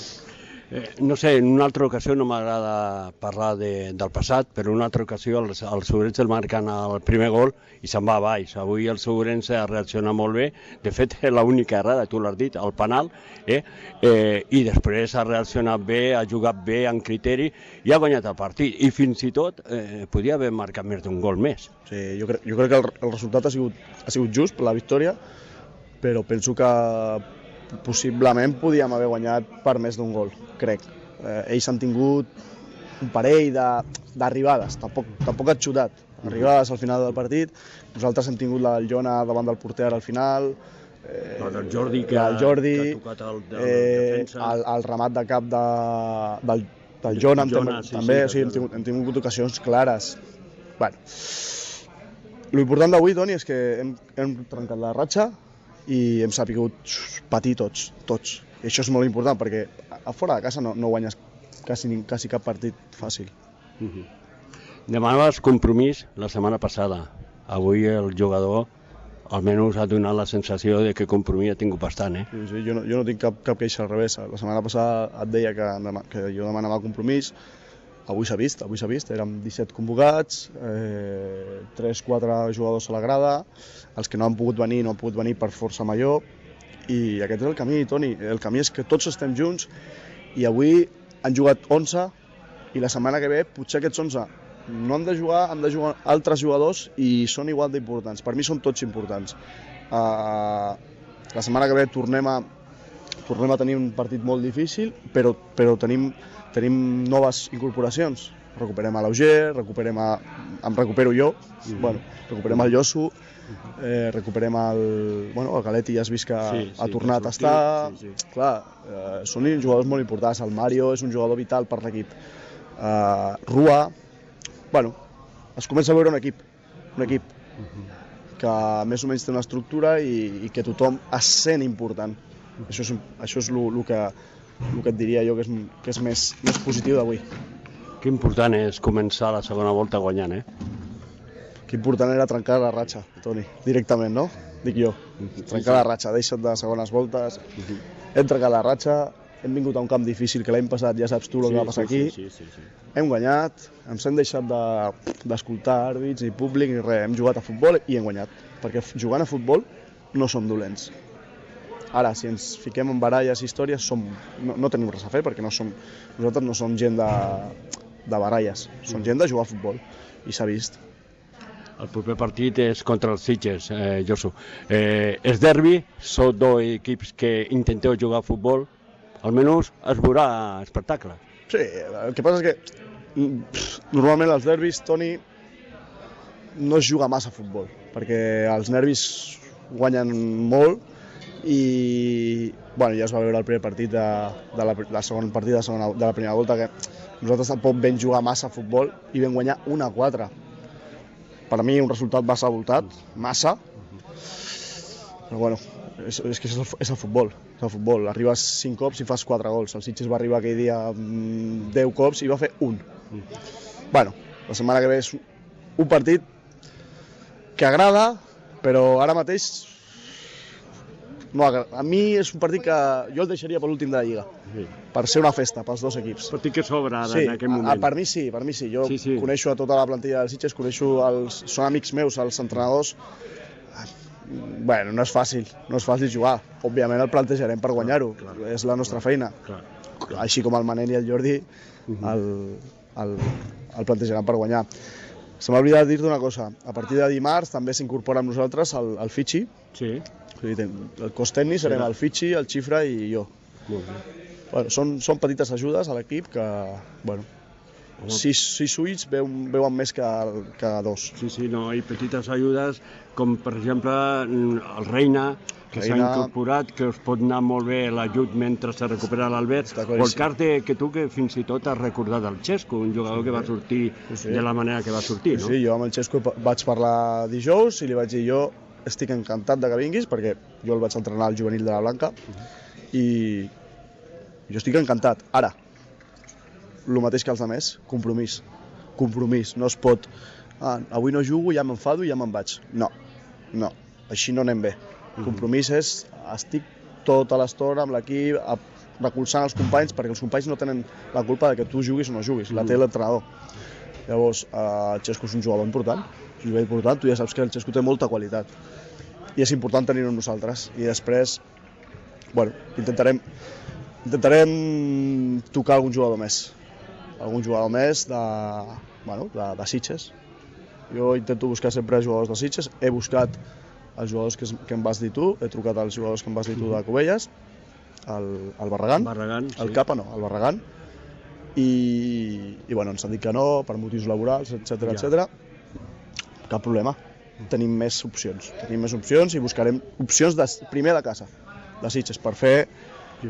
Eh, no sé, en una altra ocasió, no m'agrada parlar de, del passat, però en una altra ocasió el, el Sobrense el marquen el primer gol i se'n va a baix. Avui el Sobrense ha reaccionat molt bé, de fet l'única errada, tu l'has dit, el penal, eh? Eh, i després ha reaccionat bé, ha jugat bé, amb criteri, i ha guanyat el partit, i fins i tot eh, podia haver marcat més d'un gol més. Sí, jo, cre jo crec que el, el resultat ha sigut, ha sigut just per la victòria, però penso que possiblement podíem haver guanyat per més d'un gol, crec. Eh, ells han tingut un parell d'arribades, tampoc, tampoc ha xutat, arribades al final del partit. Nosaltres hem tingut la del Jona davant del porter al final, eh, el Jordi, que, el Jordi que ha tocat el, el eh, defensa. El, el remat de cap de, del, del Jona, Jona hem, sí, també, sí, o sigui, hem, tingut, hem tingut ocasions clares. Bueno, l'important d'avui, Toni, és que hem, hem trencat la ratxa i hem sapigut patir tots, tots. I això és molt important, perquè a fora de casa no, no guanyes quasi, quasi cap partit fàcil. Uh-huh. Demanaves compromís la setmana passada. Avui el jugador almenys ha donat la sensació de que compromís ha tingut bastant, eh? Sí, sí, jo, no, jo no tinc cap, cap queixa al revés. La setmana passada et deia que, que jo demanava compromís. Avui s'ha vist, avui s'ha vist, érem disset convocats, eh, tres quatre jugadors a la grada, els que no han pogut venir no han pogut venir per força major, i aquest és el camí, Toni, el camí és que tots estem junts, i avui han jugat onze, i la setmana que ve potser aquests onze no han de jugar, han de jugar altres jugadors i són igual d'importants, per mi són tots importants. Uh, la setmana que ve tornem a, tornem a tenir un partit molt difícil, però, però tenim tenim noves incorporacions, recuperem a l'Auger, recuperem a... em recupero jo, bueno, recuperem el Josu, eh, recuperem el... Bueno, el Galetti ja has vist que sí, sí, ha tornat a estar... Sí, sí. Clar, eh, són jugadors molt importants. El Mario és un jugador vital per l'equip. Eh, Rua... Bueno, es comença a veure un equip, un equip que més o menys té una estructura i, i que tothom es sent important. Això és, això és el que, que et diria jo que és, que és més, més positiu d'avui. Que important és començar la segona volta guanyant, eh? Que important era trencar la ratxa, Toni, directament, no? Dic jo, trencar la ratxa, deixa't de segones voltes, hem trencat la ratxa, hem vingut a un camp difícil que l'any passat ja saps tu el que va passar aquí, sí, sí, sí, sí. Hem guanyat, ens hem deixat d'escoltar de, àrbits i públic i res, hem jugat a futbol i hem guanyat, perquè jugant a futbol no som dolents. Ara, si ens fiquem en baralles i històries, som, no, no tenim res a fer, perquè no som, nosaltres no som gent de, de baralles, som gent de jugar a futbol, i s'ha vist. El proper partit és contra els Sitges, eh, Josu. Eh, és derbi, són dos equips que intenteu jugar a futbol, almenys es veurà espectacle. Sí, el que passa és que pff, normalment els derbis, Toni, no es juga massa a futbol, perquè els nervis guanyen molt, i bueno, ja es va veure el primer partit de, de la, la segon partit de, segona, de la primera volta que nosaltres tampoc vam jugar massa a futbol i vam guanyar un a quatre. Per mi un resultat massa voltat, massa, però bueno, és, és que és el, és el futbol, és el futbol. Arribes cinc cops i fas quatre gols. El Sitges va arribar aquell dia deu cops i va fer un. Bueno, la setmana que ve és un partit que agrada, però ara mateix no, a mi és un partit que jo el deixaria per l'últim de la Lliga, sí. Per ser una festa pels dos equips. Partit que s'obre sí, en aquest moment. A, per mi sí, per mi sí. Jo sí, sí. Coneixo a tota la plantilla dels Sitges, coneixo els... són amics meus, els entrenadors. Bueno, no és fàcil, no és fàcil jugar. Òbviament el plantejarem per guanyar-ho, és la nostra feina. Clar, clar. Així com el Manel i el Jordi, el, el, el plantejaran per guanyar. Se m'ha oblidat dir-te una cosa, a partir de dimarts també s'incorpora amb nosaltres el, el Fitxi. Sí. El cos tècnic serem el Fitxi, el Xifra i jo. Molt bé. Bueno, són, són petites ajudes a l'equip que, bueno, sis, sis ulls veuen, veuen més que, que dos. Sí, sí, no, i petites ajudes com, per exemple, el Reina, que s'ha incorporat, que us pot anar molt bé l'ajut mentre se recupera l'Albert, o el cas de, que tu que fins i tot has recordat el Xesco, un jugador que va sortir sí. de la manera que va sortir, no? Sí, jo amb el Xesco vaig parlar dijous i li vaig dir jo estic encantat de que vinguis, perquè jo el vaig entrenar al juvenil de la Blanca, i jo estic encantat. Ara, el mateix que els altres, compromís. Compromís, no es pot... Ah, avui no jugo, ja m'enfado i ja me'n vaig. No, no, així no anem bé. Compromís és, estic tota l'estona amb l'equip, recolzant els companys, perquè els companys no tenen la culpa de que tu juguis o no juguis, la té l'entrenador. Llavors, el Xesco és un jugador important, és un jugador important, tu ja saps que el Xesco té molta qualitat. I és important tenir-ho amb nosaltres. I després, bueno, intentarem, intentarem tocar algun jugador més. Algun jugador més de, bueno, de, de Sitges. Jo intento buscar sempre jugadors de Sitges. He buscat els jugadors que, que em vas dir tu, he trucat als jugadors que em vas dir tu de Cubelles, el, el Barragán, Barragán el sí. Capa no, el Barragán, i, i bueno, ens han dit que no, per motius laborals, etcètera, ja. etcètera. Cap problema, tenim més opcions, tenim més opcions i buscarem opcions de, primer de casa, de Sitges, per fer,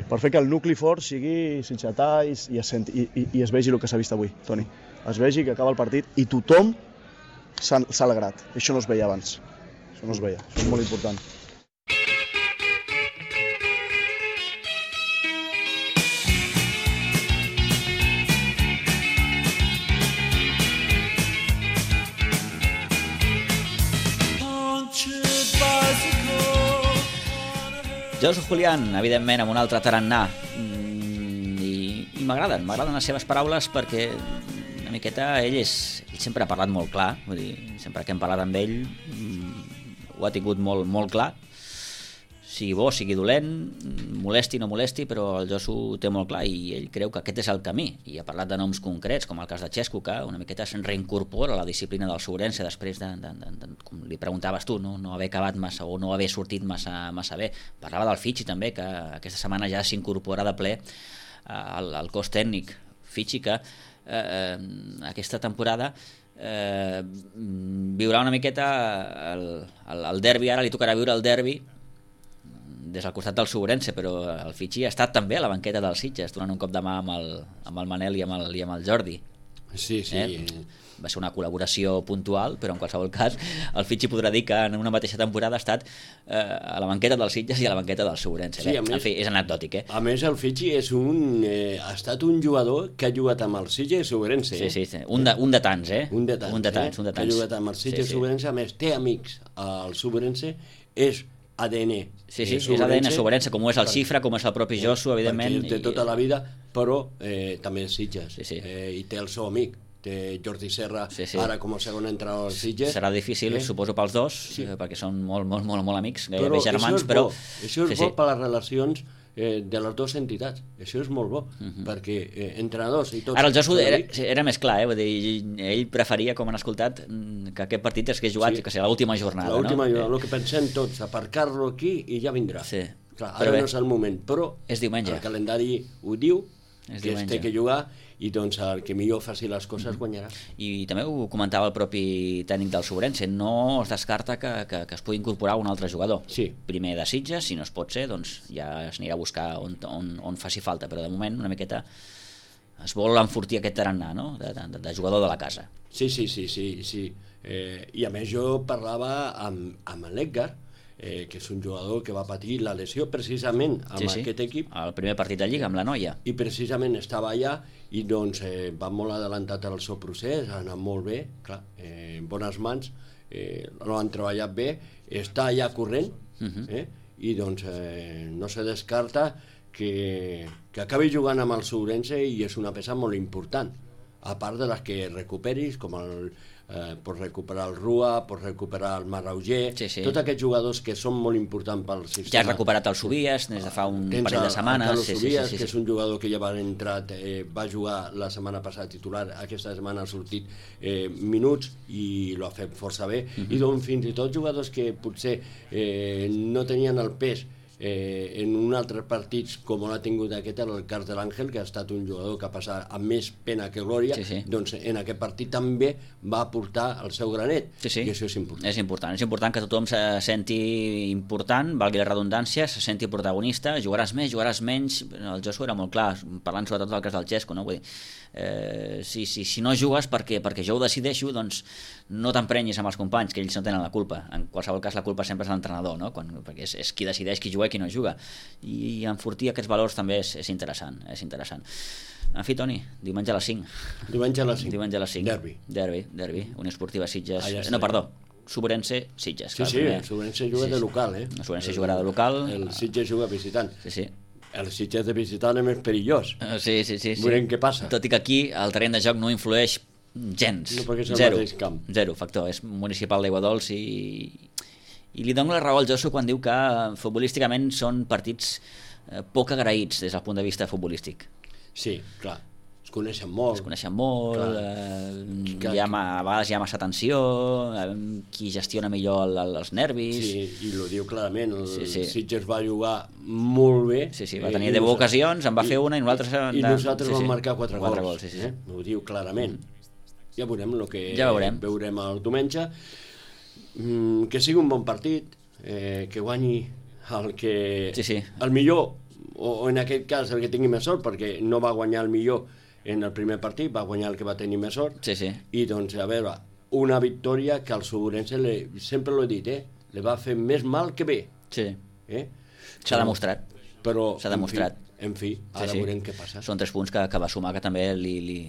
per fer que el nucli fort sigui sitgetà i, i, es senti, i, i es vegi el que s'ha vist avui, Toni. Es vegi que acaba el partit i tothom s'ha alegrat, això no es veia abans. Això no es veia, això és molt important. Josu Julián, evidentment, amb un altre tarannà, i, i m'agraden, m'agraden les seves paraules perquè una miqueta ell, és, ell sempre ha parlat molt clar, vull dir, sempre que hem parlat amb ell ho ha tingut molt, molt clar, sigui bo, sigui dolent, molesti o no molesti, però el Josu té molt clar i ell creu que aquest és el camí, i ha parlat de noms concrets, com el cas de Xesco, que una miqueta se'n reincorpora a la disciplina del Sobrense després de, de, de, de, com li preguntaves tu, no, no haver acabat massa o no haver sortit massa, massa bé. Parlava del Fitxi també, que aquesta setmana ja s'incorpora de ple al, al cos tècnic. Fitchi, que eh, aquesta temporada eh, viurà una miqueta el, el, el derbi, ara li tocarà viure el derbi des del costat del Sobrense, però el Fitchi ha estat també a la banqueta del Sitges, donant un cop de mà amb el, amb el Manel i amb el, i amb el Jordi. Sí, sí. Eh? Va ser una col·laboració puntual, però en qualsevol cas el Fitchi podrà dir que en una mateixa temporada ha estat eh, a la banqueta del Sitges i a la banqueta del Sobrense. Sí, eh? més, en fi, és anecdòtic. Eh? A més, el Fitchi és un, eh, ha estat un jugador que ha jugat amb el Sitges i Sobrense. Sí, sí, sí. Un, de, un de tants, eh? Un de tants, un de tants, eh? un de tants. Que ha jugat amb el Sitges i sí, sí. Sobrense, a més, té amics al Sobrense, és A D N. Sí, sí, és A D N Sobrense, com ho és el Xifra, com és el propi Josu, evidentment. Perquè té tota la vida, però eh, també és Sitges. Sí, sí. Eh, I té el seu amic. Té Jordi Serra, sí, sí. Ara com a segon entrenador del Sitges. Serà difícil, eh? suposo, pels dos, sí. eh, perquè són molt, molt, molt, molt amics, gairebé però germans, però... Això és sí, bo sí. per les relacions eh, de les dues entitats. Això és molt bo, uh -huh. perquè eh, entrenadors i tots... Ara el Josu era, era més clar, eh? Vull dir, ell preferia, com han escoltat, que aquest partit es hagués jugat, sí. que sigui l'última jornada. L'última no? jornada, el que pensem tots, aparcar-lo aquí i ja vindrà. Sí. Clar, ara no és el moment, però és diumenge. El calendari ho diu, és que es té que jugar, i doncs el que millor faci les coses guanyarà. I també ho comentava el propi tècnic del Sobrense, no es descarta que, que, que es pugui incorporar un altre jugador. Sí. Primer de Sitges, si no es pot ser, doncs ja s'anirà a buscar on, on, on faci falta, però de moment una miqueta es vol enfortir aquest tarannà, no?, de, de, de jugador de la casa. Sí, sí, sí, sí, sí. Eh, i a més jo parlava amb, amb l'Edgar, eh, que és un jugador que va patir la lesió precisament amb sí, sí. aquest equip. El primer partit de Lliga, amb la Noia. I precisament estava allà i doncs eh, va molt adelantat el seu procés, ha anat molt bé, clar, eh, en bones mans, eh, no han treballat bé, està allà corrent, uh-huh. eh, i doncs eh, no se descarta que, que acabi jugant amb el Sobrense i és una peça molt important, a part de les que recuperis, com el Eh, pots recuperar el Rua, pots recuperar el Marauger, sí, sí. tots aquests jugadors que són molt importants pel sistema. Ja has recuperat el Subies des de fa un Tens parell de setmanes. El sí, Subies, sí, sí, sí, que és un jugador que ja va entrar, eh, va jugar la setmana passada titular, aquesta setmana ha sortit eh, minuts i l'ha fet força bé, uh -huh. i doncs fins i tot jugadors que potser eh, no tenien el pes Eh, en un altre partits com l'ha tingut aquest, el cas de l'Àngel, que ha estat un jugador que ha passat amb més pena que glòria, sí, sí. doncs en aquest partit també va aportar el seu granet, sí, sí. i això és important. És important, és important que tothom se senti important, valgui la redundància, se senti protagonista, jugaràs més, jugaràs menys, el Josu era molt clar, parlant sobretot del cas del Xesco, no? Vull dir, eh, si, si, si no jugues perquè, perquè jo ho decideixo, doncs no t'emprenyis amb els companys, que ells no tenen la culpa. En qualsevol cas la culpa sempre és de l'entrenador, no? Quan, perquè és, és qui decideix qui juga i qui no juga, i enfortir aquests valors també és, és interessant, és interessant. En fi, Toni, diumenge a les cinc. Diumenge a les cinc. Diumenge a les cinc. Derbi. Derbi, derbi. Unió Esportiva Sitges. Ah, ja no, perdó, Sobrense Sitges. Sí, sí, el Sobrense juga sí, de local, eh? El Sobrense jugarà de local. El Sitges juga visitant. Sí, sí. El Sitges de visitant és més perillós. Uh, sí, sí, sí. Veurem sí. què passa. Tot i que aquí el terreny de joc no influeix gens. No, perquè és el zero, mateix camp. Zero factor. És municipal d'Aiguadols i... I li dono la raó al Josu quan diu que futbolísticament són partits eh, poc agraïts des del punt de vista futbolístic. Sí, clar. Es coneixen molt. Es coneixen molt, eh, que, hi ha, a vegades hi ha massa tensió, eh, qui gestiona millor el, el, els nervis... Sí, i ho diu clarament, el sí, sí. Sitges va jugar molt bé. Sí, sí, va tenir deu ocasions, en va fer una i nosaltres... I nosaltres sí, sí. vam marcar quatre, quatre gols. gols sí, sí. Eh? Ho diu clarament. Mm. Ja veurem el que ja veurem. veurem el diumenge. Mm, que sigui un bon partit, eh, que guanyi el que... Sí, sí. El millor, o, o en aquest cas el que tingui més sort, perquè no va guanyar el millor en el primer partit, va guanyar el que va tenir més sort. Sí, sí. I doncs, a veure, una victòria que al Sobrense, sempre l'he dit, eh, li va fer més mal que bé. Sí. Eh? S'ha demostrat. Però, s'ha demostrat. En fi, en fi ara sí, sí. veurem què passa. Són tres punts que, que va sumar, que també li, li,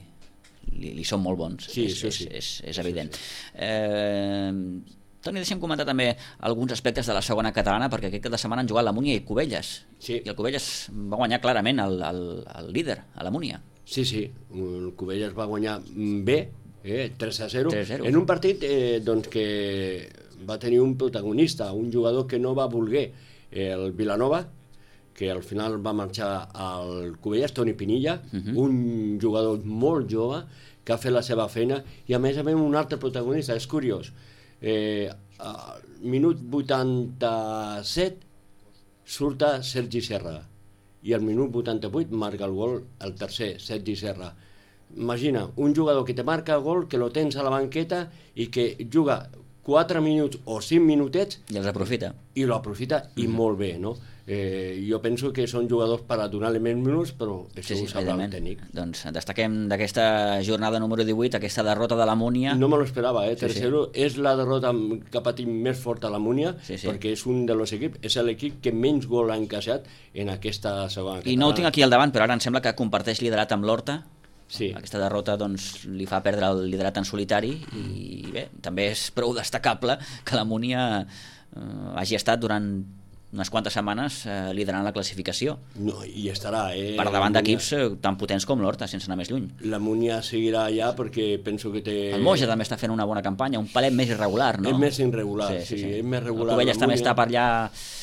li, li són molt bons. Sí, és, això sí. És, és, és evident. Sí, sí. Eh... Toni, deixa'm comentar també alguns aspectes de la segona catalana, perquè aquest cap de setmana han jugat la Múnia i Cubelles. Sí. I el Cubelles va guanyar clarament el, el, el líder, a la Múnia. Sí, sí, el Cubelles va guanyar bé, eh, tres a zero, tres a zero. En un partit eh, doncs que va tenir un protagonista, un jugador que no va voler, eh, el Vilanova, que al final va marxar al Cubelles, Toni Pinilla, uh -huh. un jugador molt jove, que ha fet la seva feina, i a més a més un altre protagonista, és curiós. Eh, al minut vuitanta-set surt Sergi Serra i al minut vuitanta-vuit marca el gol el tercer, Sergi Serra. imagina, un jugador que te marca gol, que lo tens a la banqueta i que juga quatre minuts o cinc minutets... I els aprofita. I lo aprofita i mm-hmm. molt bé, no? Eh, jo penso que són jugadors per a donar-li menys minuts, però això sí, sí, ho sabrà el tècnic. Doncs destaquem d'aquesta jornada número divuit, aquesta derrota de la Múnia. No me lo esperava, eh? Tercero, sí, sí. És la derrota que ha patit més forta la Múnia, sí, sí. perquè és un dels equips, és l'equip que menys gol ha encaixat en aquesta segona catalana. I no ho tinc aquí al davant, però ara em sembla que comparteix liderat amb l'Horta. Sí. Aquesta derrota doncs, li fa perdre el liderat en solitari i bé, també és prou destacable que la Múnia eh, hagi estat durant unes quantes setmanes eh, liderant la classificació. No, i estarà, eh? Per davant d'equips eh, tan potents com l'Horta, sense anar més lluny. La Múnia seguirà allà perquè penso que té... El Moja també està fent una bona campanya, un palet més irregular, no? És més irregular, sí, sí, sí. És més regular. El Covelles també està per allà...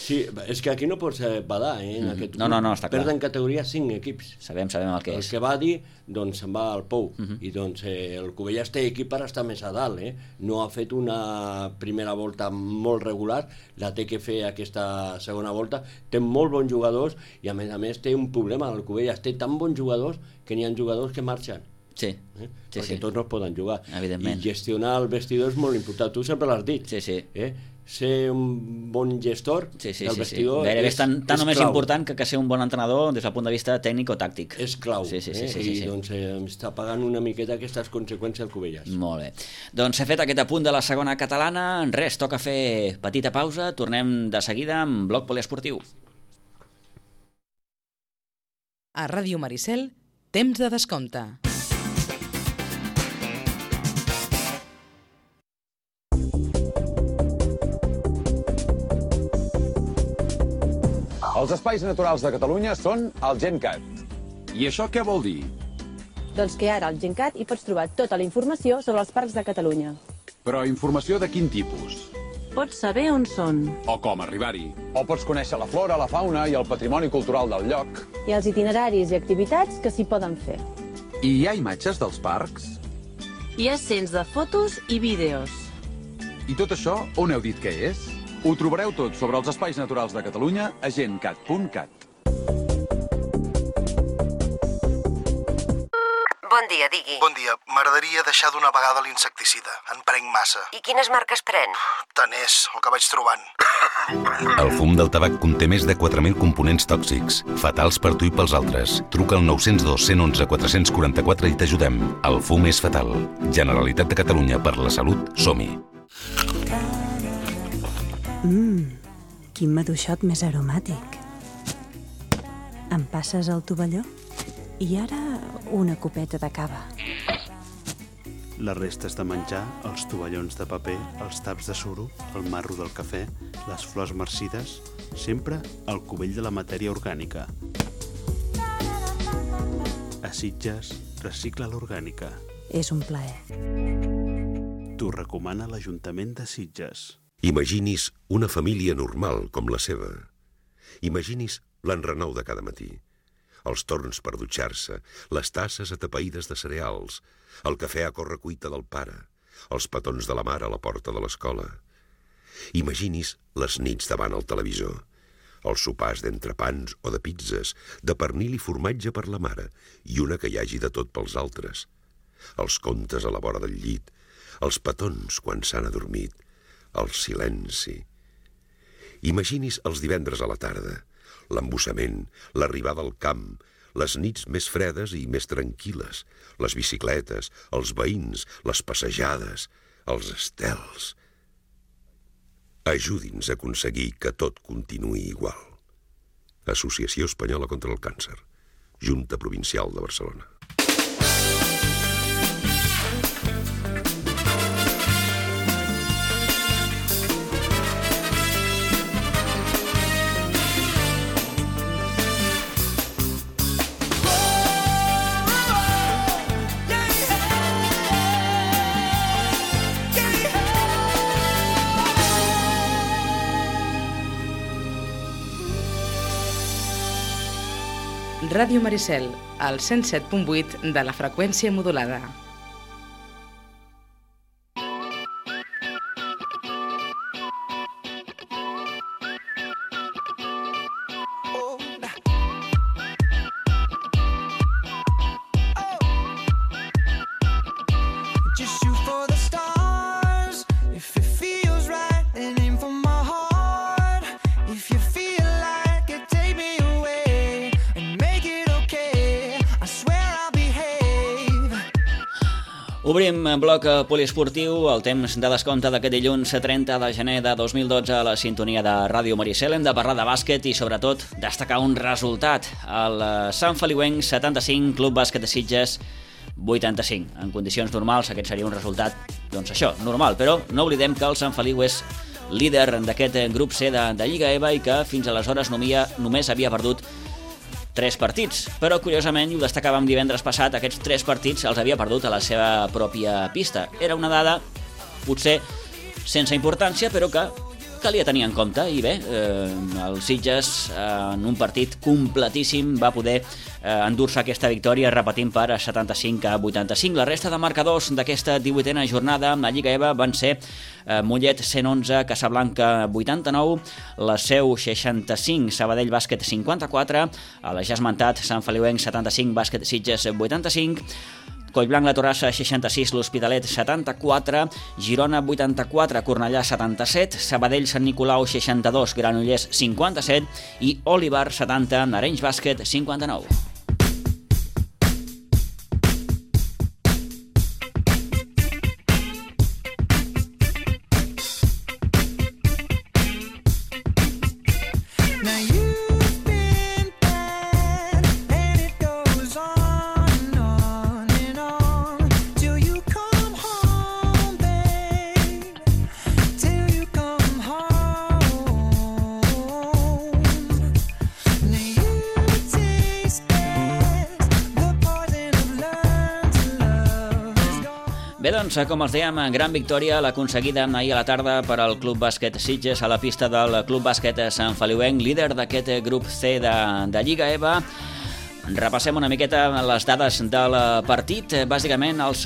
Sí, és que aquí no pots badar, eh? En mm. aquest no, no, no, està clar. Perden categoria cinc equips. Sabem, sabem el que és. El que va dir, doncs se'n va al Pou. Mm -hmm. I doncs eh, el Covelles té equip per estar més a dalt, eh? No ha fet una primera volta molt regular, la té que fer aquesta segona volta. Té molt bons jugadors i a més a més té un problema, el Covelles té tan bons jugadors que n'hi ha jugadors que marxen. Sí, eh? sí, perquè sí. tots no es poden jugar. Evidentment. I gestionar el vestidor és molt important, tu sempre l'has dit. Sí, sí. Eh? Ser un bon gestor sí, sí, del sí, vestidor sí. Gairebé és, és tan, tan és o més clau. important que, que ser un bon entrenador des del punt de vista tècnic o tàctic. És clau, sí, sí, sí, eh? sí, sí, sí. I doncs eh, està pagant una miqueta aquestes conseqüències al Covelles. Molt bé. Doncs s'ha fet aquest apunt de la segona catalana. Res, toca fer petita pausa. Tornem de seguida amb Bloc Poliesportiu. A Ràdio Maricel, temps de descompte. Els espais naturals de Catalunya són el GenCat. I això què vol dir? Doncs que ara al GenCat hi pots trobar tota la informació sobre els parcs de Catalunya. Però informació de quin tipus? Pots saber on són. O com arribar-hi. O pots conèixer la flora, la fauna i el patrimoni cultural del lloc. I els itineraris i activitats que s'hi poden fer. I hi ha imatges dels parcs? Hi ha cents de fotos i vídeos. I tot això on heu dit que és? Ho trobareu tot sobre els espais naturals de Catalunya a gencat punt cat. Bon dia, digui. Bon dia. M'agradaria deixar d'una vegada l'insecticida. En prenc massa. I quines marques pren? Tant és, el que vaig trobant. El fum del tabac conté més de quatre mil components tòxics, fatals per tu i pels altres. Truca al nou zero dos, cent onze, quatre cents quaranta-quatre i t'ajudem. El fum és fatal. Generalitat de Catalunya, per la salut, som-hi. Mmm, quin maduixot més aromàtic. Em passes el tovalló? I ara una copeta de cava. Les restes de menjar, els tovallons de paper, els taps de suro, el marro del cafè, les flors marcides, sempre al cubell de la matèria orgànica. A Sitges, recicla l'orgànica. És un plaer. T'ho recomana l'Ajuntament de Sitges. Imaginis una família normal com la seva. Imaginis l'enrenou de cada matí. Els torns per dutxar-se, les tasses atapeïdes de cereals, el cafè a correcuita del pare, els petons de la mare a la porta de l'escola. Imaginis les nits davant el televisor, els sopars d'entrepans o de pizzas, de pernil i formatge per la mare i una que hi hagi de tot pels altres, els contes a la vora del llit, els petons quan s'han adormit, el silenci. Imaginis els divendres a la tarda, l'embussament, l'arribada al camp, les nits més fredes i més tranquil·les, les bicicletes, els veïns, les passejades, els estels. Ajudi'ns a aconseguir que tot continuï igual. Associació Espanyola contra el Càncer, Junta Provincial de Barcelona. Ràdio Maricel, al cent set punt vuit de la freqüència modulada. Obrim bloc poliesportiu, el temps de descompte d'aquest dilluns trenta de gener de dos mil dotze a la sintonia de Ràdio Maricel. Hem de parlar de bàsquet i, sobretot, destacar un resultat. El Sant Feliuenc setanta-cinc, Club Bàsquet de Sitges vuitanta-cinc. En condicions normals aquest seria un resultat, doncs això, normal, però no oblidem que el Sant Feliu és líder d'aquest grup C de, de Lliga E V A i que fins aleshores nomia, només havia perdut tres partits, però curiosament, i ho destacàvem divendres passat, aquests tres partits els havia perdut a la seva pròpia pista. Era una dada, potser sense importància, però que calia tenir en compte, i bé, eh, el Sitges eh, en un partit completíssim va poder eh, endur-se aquesta victòria repetint per setanta-cinc a vuitanta-cinc. La resta de marcadors d'aquesta divuitena jornada amb la Lliga E V A van ser eh, Mollet cent onze, Casablanca vuitanta-nou, la Seu seixanta-cinc, Sabadell Bàsquet cinquanta-quatre, a la ja esmentat Sant Feliuenc setanta-cinc, Bàsquet Sitges vuitanta-cinc, Collblanc, la Torrassa, seixanta-sis, l'Hospitalet, setanta-quatre, Girona, vuitanta-quatre, Cornellà, setanta-set, Sabadell, Sant Nicolau, seixanta-dos, Granollers, cinquanta-set i Olivar, setanta, Arenys Bàsquet, cinquanta-nou. Bé, doncs, com els dèiem, gran victòria l'aconseguida ahir a la tarda per al Club Bàsquet Sitges a la pista del Club Bàsquet Sant Feliuenc, líder d'aquest grup C de, de Lliga E V A. Repassem una miqueta les dades del partit. Bàsicament, els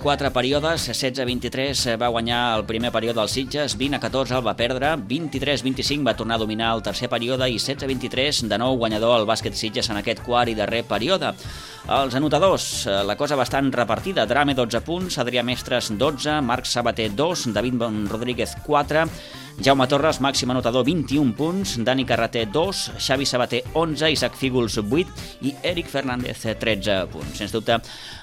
quatre períodes, setze a vint-i-tres va guanyar el primer període del Sitges, vint a catorze el va perdre, vint-i-tres a vint-i-cinc va tornar a dominar el tercer període i setze a vint-i-tres de nou guanyador el bàsquet Sitges en aquest quart i darrer període. Els anotadors, la cosa bastant repartida. Drame, dotze punts, Adrià Mestres, dotze, Marc Sabater, dos, David Rodríguez, quatre, Jaume Torres, màxim anotador, vint-i-un punts, Dani Carreter, dos, Xavi Sabater, onze, Isaac Fígols, vuit i Eric Fernández, tretze punts. Sens dubte,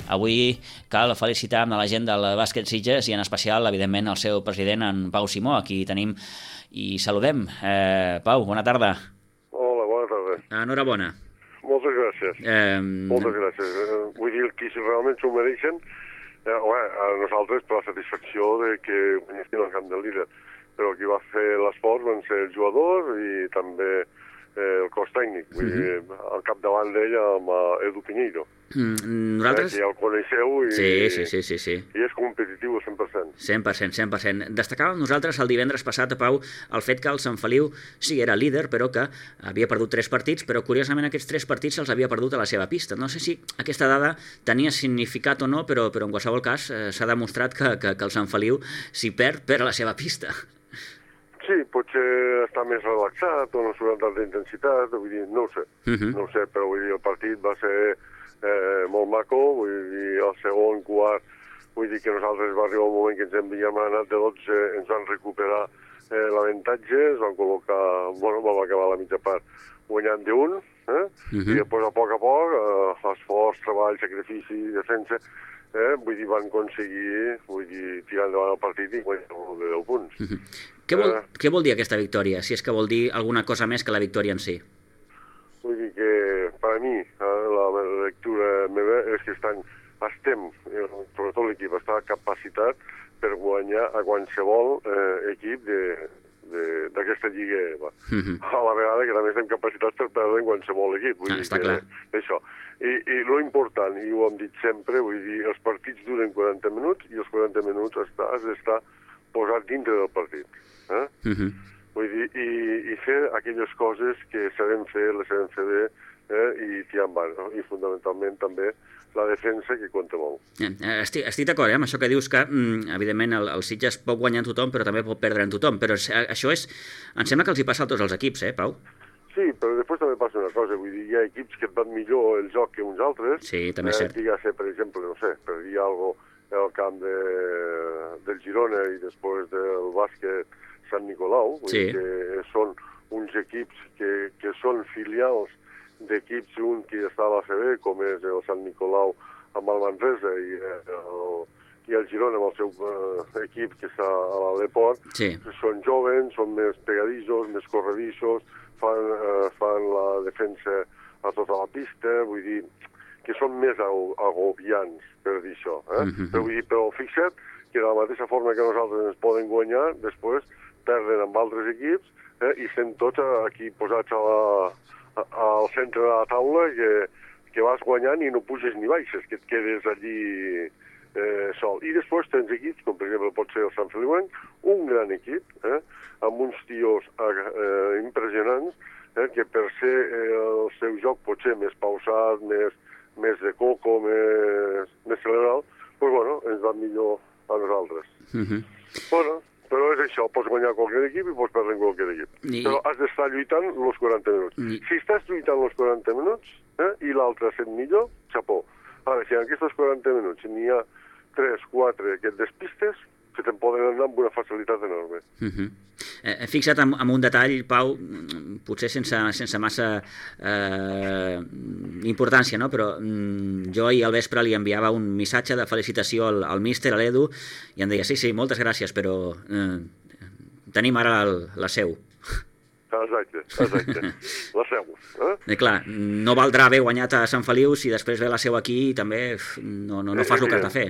avui cal felicitar a la gent del bàsquet Sitges i en especial, evidentment, el seu president, en Pau Simó, a qui tenim i saludem. Eh, Pau, bona tarda. Hola, bona tarda. Enhorabona. Moltes gràcies. Eh... Moltes gràcies. Eh, vull dir que si realment s'ho mereixen, eh, home, a nosaltres per la satisfacció de que guanyessin el camp del líder. Però qui va fer l'esforç van ser els jugadors i també eh, el cos tècnic. Vull dir, al capdavant d'ella amb Edu Piñeiro. Mm, nosaltres... Eh, que ja el coneixeu i, sí, sí, sí, sí, sí. i és competitiu al cent per cent. cent per cent, cent per cent. Destacàvem nosaltres el divendres passat, Pau, el fet que el Sant Feliu sí era líder, però que havia perdut tres partits, però curiosament aquests tres partits els havia perdut a la seva pista. No sé si aquesta dada tenia significat o no, però, però en qualsevol cas eh, s'ha demostrat que, que, que el Sant Feliu, si perd, perd a la seva pista. Sí, potser està més relaxat o no surt amb tanta intensitat, vull dir, no ho sé, uh -huh. no ho sé, però vull dir, el partit va ser eh, molt maco, vull dir, el segon quart, vull dir que nosaltres va arribar un moment que ens havíem anat de dotze, ens van recuperar eh, l'avantatge, es van col·locar, bueno, vam acabar la mitja part guanyant d'un, eh? Uh -huh. I després a poc a poc, eh, esforç, treball, sacrifici, defensa, eh? vull dir, van aconseguir, vull dir, tirar endavant el partit i guanyar de deu punts. Uh -huh. Què vol, eh, què vol dir aquesta victòria, si és que vol dir alguna cosa més que la victòria en si? Vull dir que, per a mi, eh, la lectura meva és que estan, estem, sobretot l'equip, està capacitat per guanyar a qualsevol eh, equip d'aquesta Lliga E V A. Uh -huh. A la vegada que també estem capacitats per perdre en qualsevol equip. Vull ah, dir està que, clar. Això. I, I lo important, i ho hem dit sempre, vull dir, els partits duren quaranta minuts i els quaranta minuts està, has d'estar posat dintre del partit. Eh? Uh -huh. Vull dir, i, i fer aquelles coses que sabem fer, les sabem fer bé, eh? i tirar endavant, no? I fonamentalment també la defensa, que compta molt. Estic, estic d'acord eh, amb això que dius, que mm, evidentment el, el Sitges pot guanyar en tothom, però també pot perdre en tothom, però això és, em sembla que els hi passa a tots els equips, eh, Pau? Sí, però després també passa una cosa, vull dir, hi ha equips que et van millor el joc que uns altres. Sí, també és cert. Eh, digues, per exemple, no sé, per dir alguna cosa al camp de, del Girona i després del bàsquet Sant Nicolau, vull sí. dir que són uns equips que, que són filials d'equips un que està a la C B, com és el Sant Nicolau amb el Manresa i el, i el Girona, amb el seu uh, equip, que està a l'Aleport, sí. són joves, són més pegadissos, més corredissos, fan, uh, fan la defensa a tota la pista, vull dir que són més agobiants, per dir això. Eh? Mm-hmm. Però, vull dir, però fixa't que de la mateixa forma que nosaltres ens poden guanyar, després perden amb altres equips eh? i estem tots aquí posats a la, a, al centre de la taula que, que vas guanyant i no puges ni baixes, que et quedes allí eh, sol. I després tens equips, com per exemple pot ser el Sant Feliuenc, un gran equip, eh, amb uns tios eh, impressionants, eh, que per ser eh, el seu joc potser més pausat, més, més de coco, més, més cerebral, doncs bueno, ens va millor a nosaltres. Mm-hmm. Bueno, però és això, pots guanyar qualsevol equip i pots perdre qualsevol equip. I... Però has d'estar lluitant els quaranta minuts. I... Si estàs lluitant els quaranta minuts eh, i l'altre ha set millor, xapó. Ara, si en aquests quaranta minuts n'hi ha tres, quatre que et despistes, que te'n poden anar amb una facilitat enorme. Uh-huh. eh, fixa't en, en un detall, Pau, potser sense, sense massa eh, importància, no? Però mm, jo ahir al vespre li enviava un missatge de felicitació al, al míster, a l'Edu, i em deia, sí, sí, moltes gràcies, però eh, tenim ara el, la seu. Exacte, exacte. La seu. Eh? I clar, no valdrà haver guanyat a Sant Feliu si després ve la seu aquí i també no, no, no fas el que has de fer.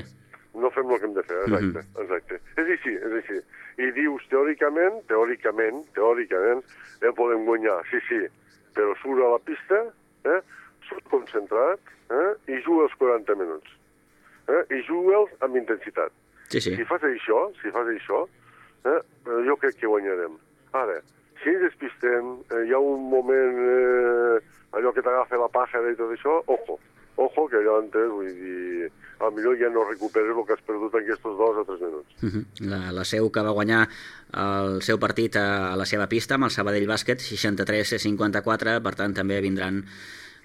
No fem el que hem de fer, exacte, mm-hmm. exacte. És així, és així. I dius, teòricament, teòricament, teòricament, el podem guanyar, sí, sí, però surt a la pista, eh, surt concentrat, eh, i juga els quaranta minuts. Eh, I juga'ls amb intensitat. Sí, sí. Si fas això, si fas això, eh, jo crec que guanyarem. Ara, si ens despistem, eh, hi ha un moment, eh, allò que t'agafa la pàjara i tot això, ojo, ojo, que allò antes, vull dir, al millor ja no recuperes el que has perdut en aquests dos o tres minuts. Uh-huh. La, la seu que va guanyar el seu partit a, a la seva pista amb el Sabadell Bàsquet, seixanta-tres a cinquanta-quatre, per tant també vindran,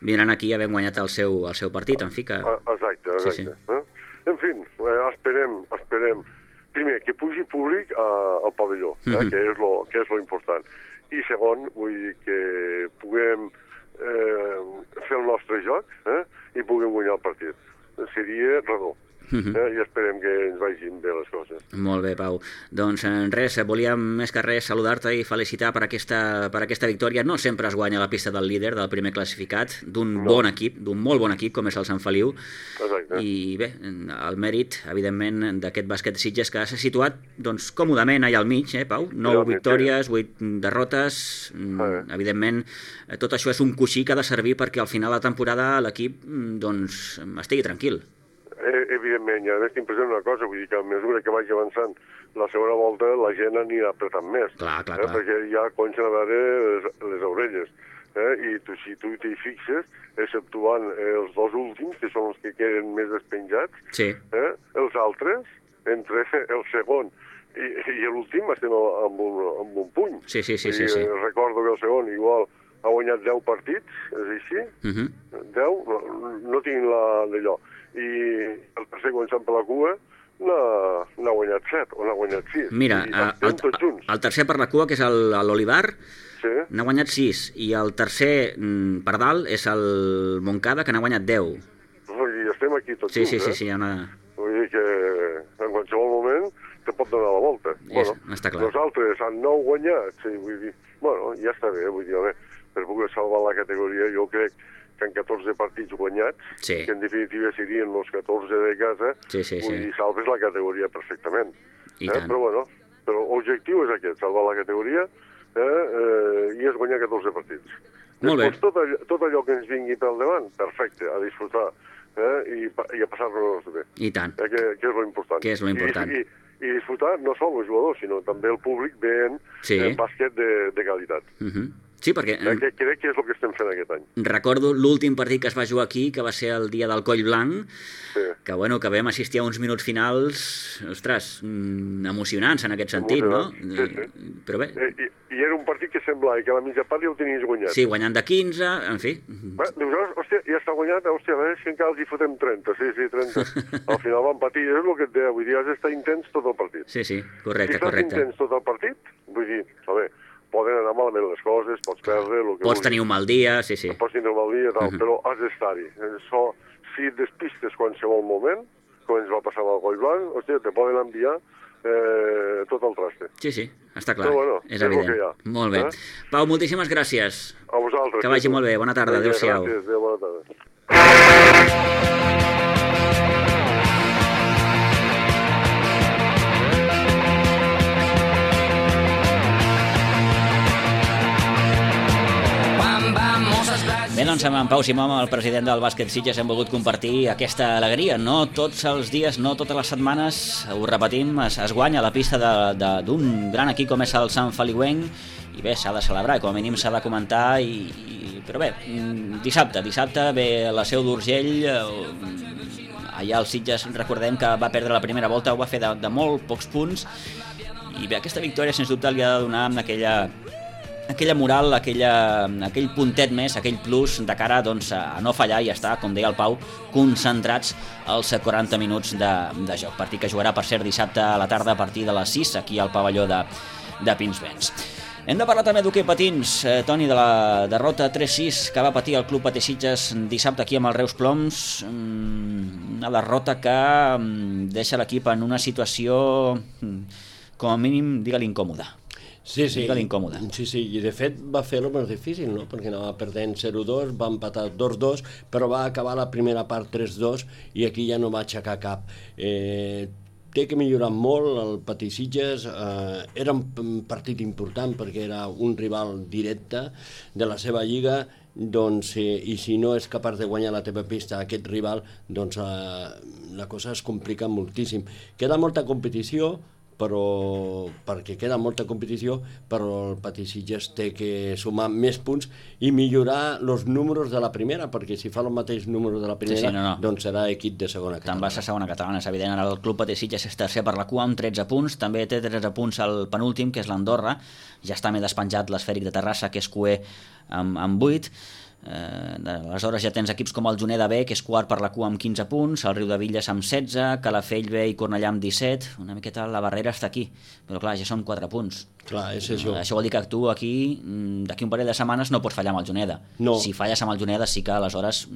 vindran aquí havent guanyat el seu, el seu partit, en fi que... Exacte, exacte. Sí, sí. Eh? En fi, eh, esperem, esperem, primer, que pugi públic a, al pavelló, eh, uh-huh. que és lo, que és lo important. I segon, vull dir que puguem eh, fer el nostre joc eh, i puguem guanyar el partit. Seria redó. Uh-huh. eh, I esperem que ens vagin bé les coses. Molt bé, Pau. Doncs res, volíem més que res saludar-te i felicitar per aquesta, per aquesta victòria. No sempre es guanya la pista del líder, del primer classificat, d'un no. bon equip, d'un molt bon equip com és el Sant Feliu. Exacte. I bé, el mèrit, evidentment, d'aquest bàsquet Sitges que s'ha situat doncs, còmodament allà al mig, eh, Pau? Nou sí, victòries, sí. vuit derrotes. Ah, evidentment, tot això és un coixí que ha de servir perquè al final de la temporada l'equip doncs, estigui tranquil. Evidentment, i a més t'impressiona una cosa, vull dir que a mesura que vagi avançant la segona volta la gent anirà apretant més, clar, clar, eh? clar. perquè ja comencen a veure les, les orelles, eh? i tu, si tu t'hi fixes, exceptuant els dos últims, que són els que queden més despenjats, sí. eh? els altres, entre el segon i, i l'últim estem amb un, amb un puny. Sí, sí, sí, I, sí, sí. Recordo que el segon igual ha guanyat deu partits, és així? Uh-huh. deu? No, no tinc la d'allò. I el tercer començant per la cua n'ha guanyat set o n'ha guanyat sis. Mira, el, el tercer per la cua, que és l'Olivar, sí. n'ha guanyat sis, i el tercer per dalt és el Montcada, que n'ha guanyat deu. Vull dir, estem aquí tots sí, junts, sí, sí, eh? sí, hi ha una... Vull dir que en qualsevol moment te pot donar la volta. És, bueno, està clar. Nosaltres han nou guanyat, sí, vull dir, bueno, ja està bé, vull dir, a veure, per poder salvar la categoria, jo crec que en catorze partits guanyats, sí. que en definitiva serien els catorze de casa, sí, sí, vull sí. dir, salves la categoria perfectament. I eh? tant. Però bueno, però l'objectiu és aquest, salvar la categoria eh? Eh, i és guanyar catorze partits. Molt Després, bé. Tot allò, tot allò que ens vingui pel davant, perfecte, a disfrutar eh? I, i a passar-nos bé. I tant. Eh? Que, que és lo important. Que és lo important. I, i, i disfrutar no sols els jugadors, sinó també el públic veient sí. el bàsquet de, de qualitat. Uh-huh. Sí, perquè... Eh, crec que és el que estem fent aquest any. Recordo l'últim partit que es va jugar aquí, que va ser el dia del Coll Blanc, sí. que, bueno, que vam assistir a uns minuts finals, ostres, emocionants en aquest sentit, no? Sí, sí. Però bé... Eh, i, I era un partit que semblava que a la mitja part ja ho tenies guanyat. Sí, guanyant de quinze, en fi... Bé, dius, hòstia, ja està guanyat, hòstia, a veure si encara els hi fotem trenta, sí, sí, trenta. Al final van patir, és el que et deia, vull dir, has d'estar intens tot el partit. Sí, sí, correcte, si correcte. Si estàs intens tot el partit, vull dir, a veure, poden anar malament les coses, pots perdre... El que pots tenir un mal dia, sí, sí. Pots tenir un mal dia, tal, uh-huh. però has d'estar-hi. So, si et despistes qualsevol moment, com ens va passar amb el Coll Blanc, hòstia, te poden enviar eh, tot el traste. Sí, sí, està clar, Però, bueno, és és el evident. que hi ha. Molt bé. Eh? Pau, moltíssimes gràcies. A vosaltres. Que vagi molt bé, bona tarda, adéu-siau. Gràcies, adéu, bona tarda. Bé, doncs amb en Pau Simó, el president del bàsquet Sitges, hem volgut compartir aquesta alegria. No tots els dies, no totes les setmanes, ho repetim, es, es guanya a la pista d'un gran equip com és el Sant Feliuenc, i bé, s'ha de celebrar, com a mínim s'ha de comentar, i, i, però bé, dissabte, dissabte ve la Seu d'Urgell, allà al Sitges recordem que va perdre la primera volta, ho va fer de, de molt pocs punts, i bé, aquesta victòria sens dubte li ha de donar aquella... aquella moral, aquella, aquell puntet més, aquell plus de cara doncs, a no fallar i estar, com deia el Pau, concentrats als quaranta minuts de, de joc. Partit que jugarà, per cert, dissabte a la tarda a partir de les sis, aquí al pavelló de, de Pinsbens. Hem de parlar també d'hoquei patins, eh, Toni, de la derrota tres sis que va patir el Club Patí Sitges dissabte aquí amb el Reus Ploms. Una derrota que deixa l'equip en una situació, com a mínim, digue-li, incòmoda. Sí, sí, incòmode. sí, sí, i de fet va fer-ho més difícil, no? Perquè anava perdent zero dos, va empatar dos dos, però va acabar la primera part tres dos i aquí ja no va aixecar cap. Eh, té que millorar molt el Patí Sitges, eh, era un partit important perquè era un rival directe de la seva lliga, doncs, eh, i si no és capaç de guanyar la teva pista a aquest rival, doncs eh, la cosa es complica moltíssim. Queda molta competició, però perquè queda molta competició, però el Patí Sitges té que sumar més punts i millorar els números de la primera, perquè si fa el mateix número de la primera, sí, sí, no, no. doncs serà equip de segona catalana. Te'n vas a segona catalana, és evident. Ara el Club Patí Sitges és tercer per la cua amb tretze punts, també té tretze punts al penúltim, que és l'Andorra, ja està més despenjat l'Esfèric de Terrassa, que és cuer amb, amb vuit. Eh, aleshores ja tens equips com el Juneda B, que és quart per la cua amb quinze punts, el Riudevilles amb setze, Calafell B i Cornellà amb disset. Una miqueta la barrera està aquí, però clar, ja són quatre punts. Clar, és això. Això vol dir que tu aquí, d'aquí un parell de setmanes, no pots fallar amb el Juneda. No. Si falles amb el Juneda sí que aleshores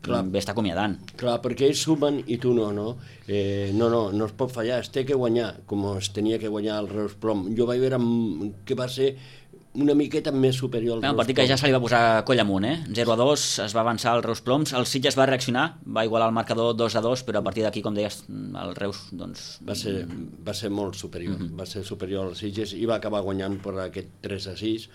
clar, bé està acomiadant. Clar, perquè ells sumen i tu no, no? Eh, no, no, no es pot fallar, es té que guanyar, com es tenia que guanyar el Reus Plom. Jo vaig veure que va ser una miqueta més superior al Reus Ploms. Un partit que ja se li va posar coll amunt, eh? zero a dos, es va avançar el Reus Ploms, el Sitges va reaccionar, va igualar el marcador dos a dos, però a partir d'aquí, com deies, el Reus, doncs... Va ser, va ser molt superior, uh-huh. va ser superior al Sitges i va acabar guanyant per aquest tres a sis,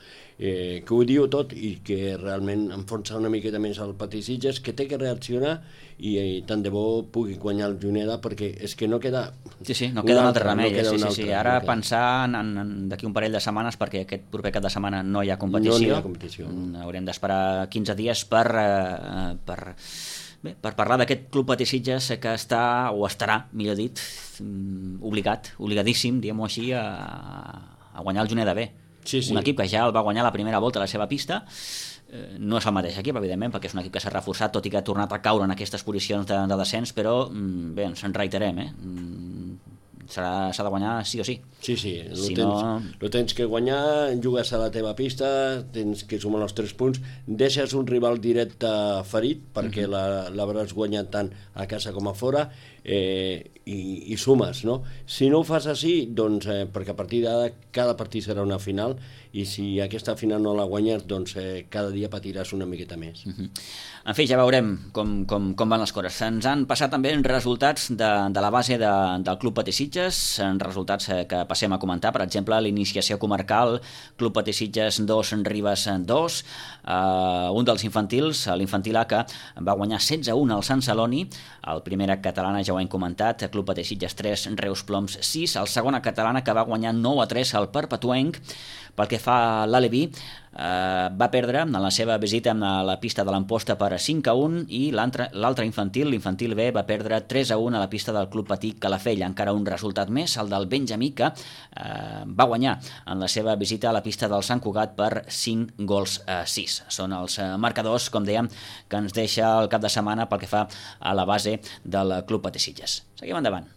eh, que ho diu tot i que realment enfonsa una miqueta més el Patí Sitges, que té que reaccionar i, i tant de bo pugui guanyar el Juneda, perquè és que no queda... Sí, sí, no queda un altre remei, no sí, sí, altre, sí. Ara no pensar en, en, d'aquí un parell de setmanes, perquè aquest proper cap de setmana no hi ha competició. No hi ha competició. Haurem d'esperar quinze dies per, eh, per, bé, per parlar d'aquest Club Patí Sitges que està, o estarà, millor dit, obligat, obligadíssim, diguem-ho així, a, a guanyar el Juneda B. Sí, sí. Un equip que ja el va guanyar la primera volta a la seva pista. Eh, no és el mateix equip, evidentment, perquè és un equip que s'ha reforçat, tot i que ha tornat a caure en aquestes posicions de, de descens, però bé, ens en reiterem, eh? S'ha de guanyar sí o sí. Sí, sí, lo, si tens, no... lo tens que guanyar, jugues a la teva pista, tens que sumar els tres punts, deixes un rival directe ferit, perquè uh-huh. l'hauràs guanyat tant a casa com a fora, eh, i, i sumes, no? Si no ho fas així, doncs, eh, perquè a partir d'ara cada partit serà una final, i si aquesta final no la guanyes, doncs eh, cada dia patiràs una miqueta més. Uh-huh. En fi, ja veurem com, com, com van les coses. Ens han passat també resultats de, de la base de, del Club Patí Sitges, resultats que passem a comentar, per exemple, l'iniciació comarcal, Club Patí Sitges dos, Ribes dos, uh, un dels infantils, l'infantil A, que va guanyar setze a un al Sant Celoni, el primera catalana ja ho hem comentat, Club Patí Sitges tres, Reus Ploms sis, el segona catalana que va guanyar nou a tres al Perpetuenc. Pel que fa a l'Aleví, eh, va perdre en la seva visita a la pista de l'Amposta per cinc a un i l'altre infantil, l'infantil B, va perdre tres a un a la pista del Club Patí Calafell. Encara un resultat més, el del Benjamí, que eh, va guanyar en la seva visita a la pista del Sant Cugat per cinc gols a sis. Són els marcadors, com dèiem, que ens deixa el cap de setmana pel que fa a la base del Club Patí Sitges. Seguim endavant.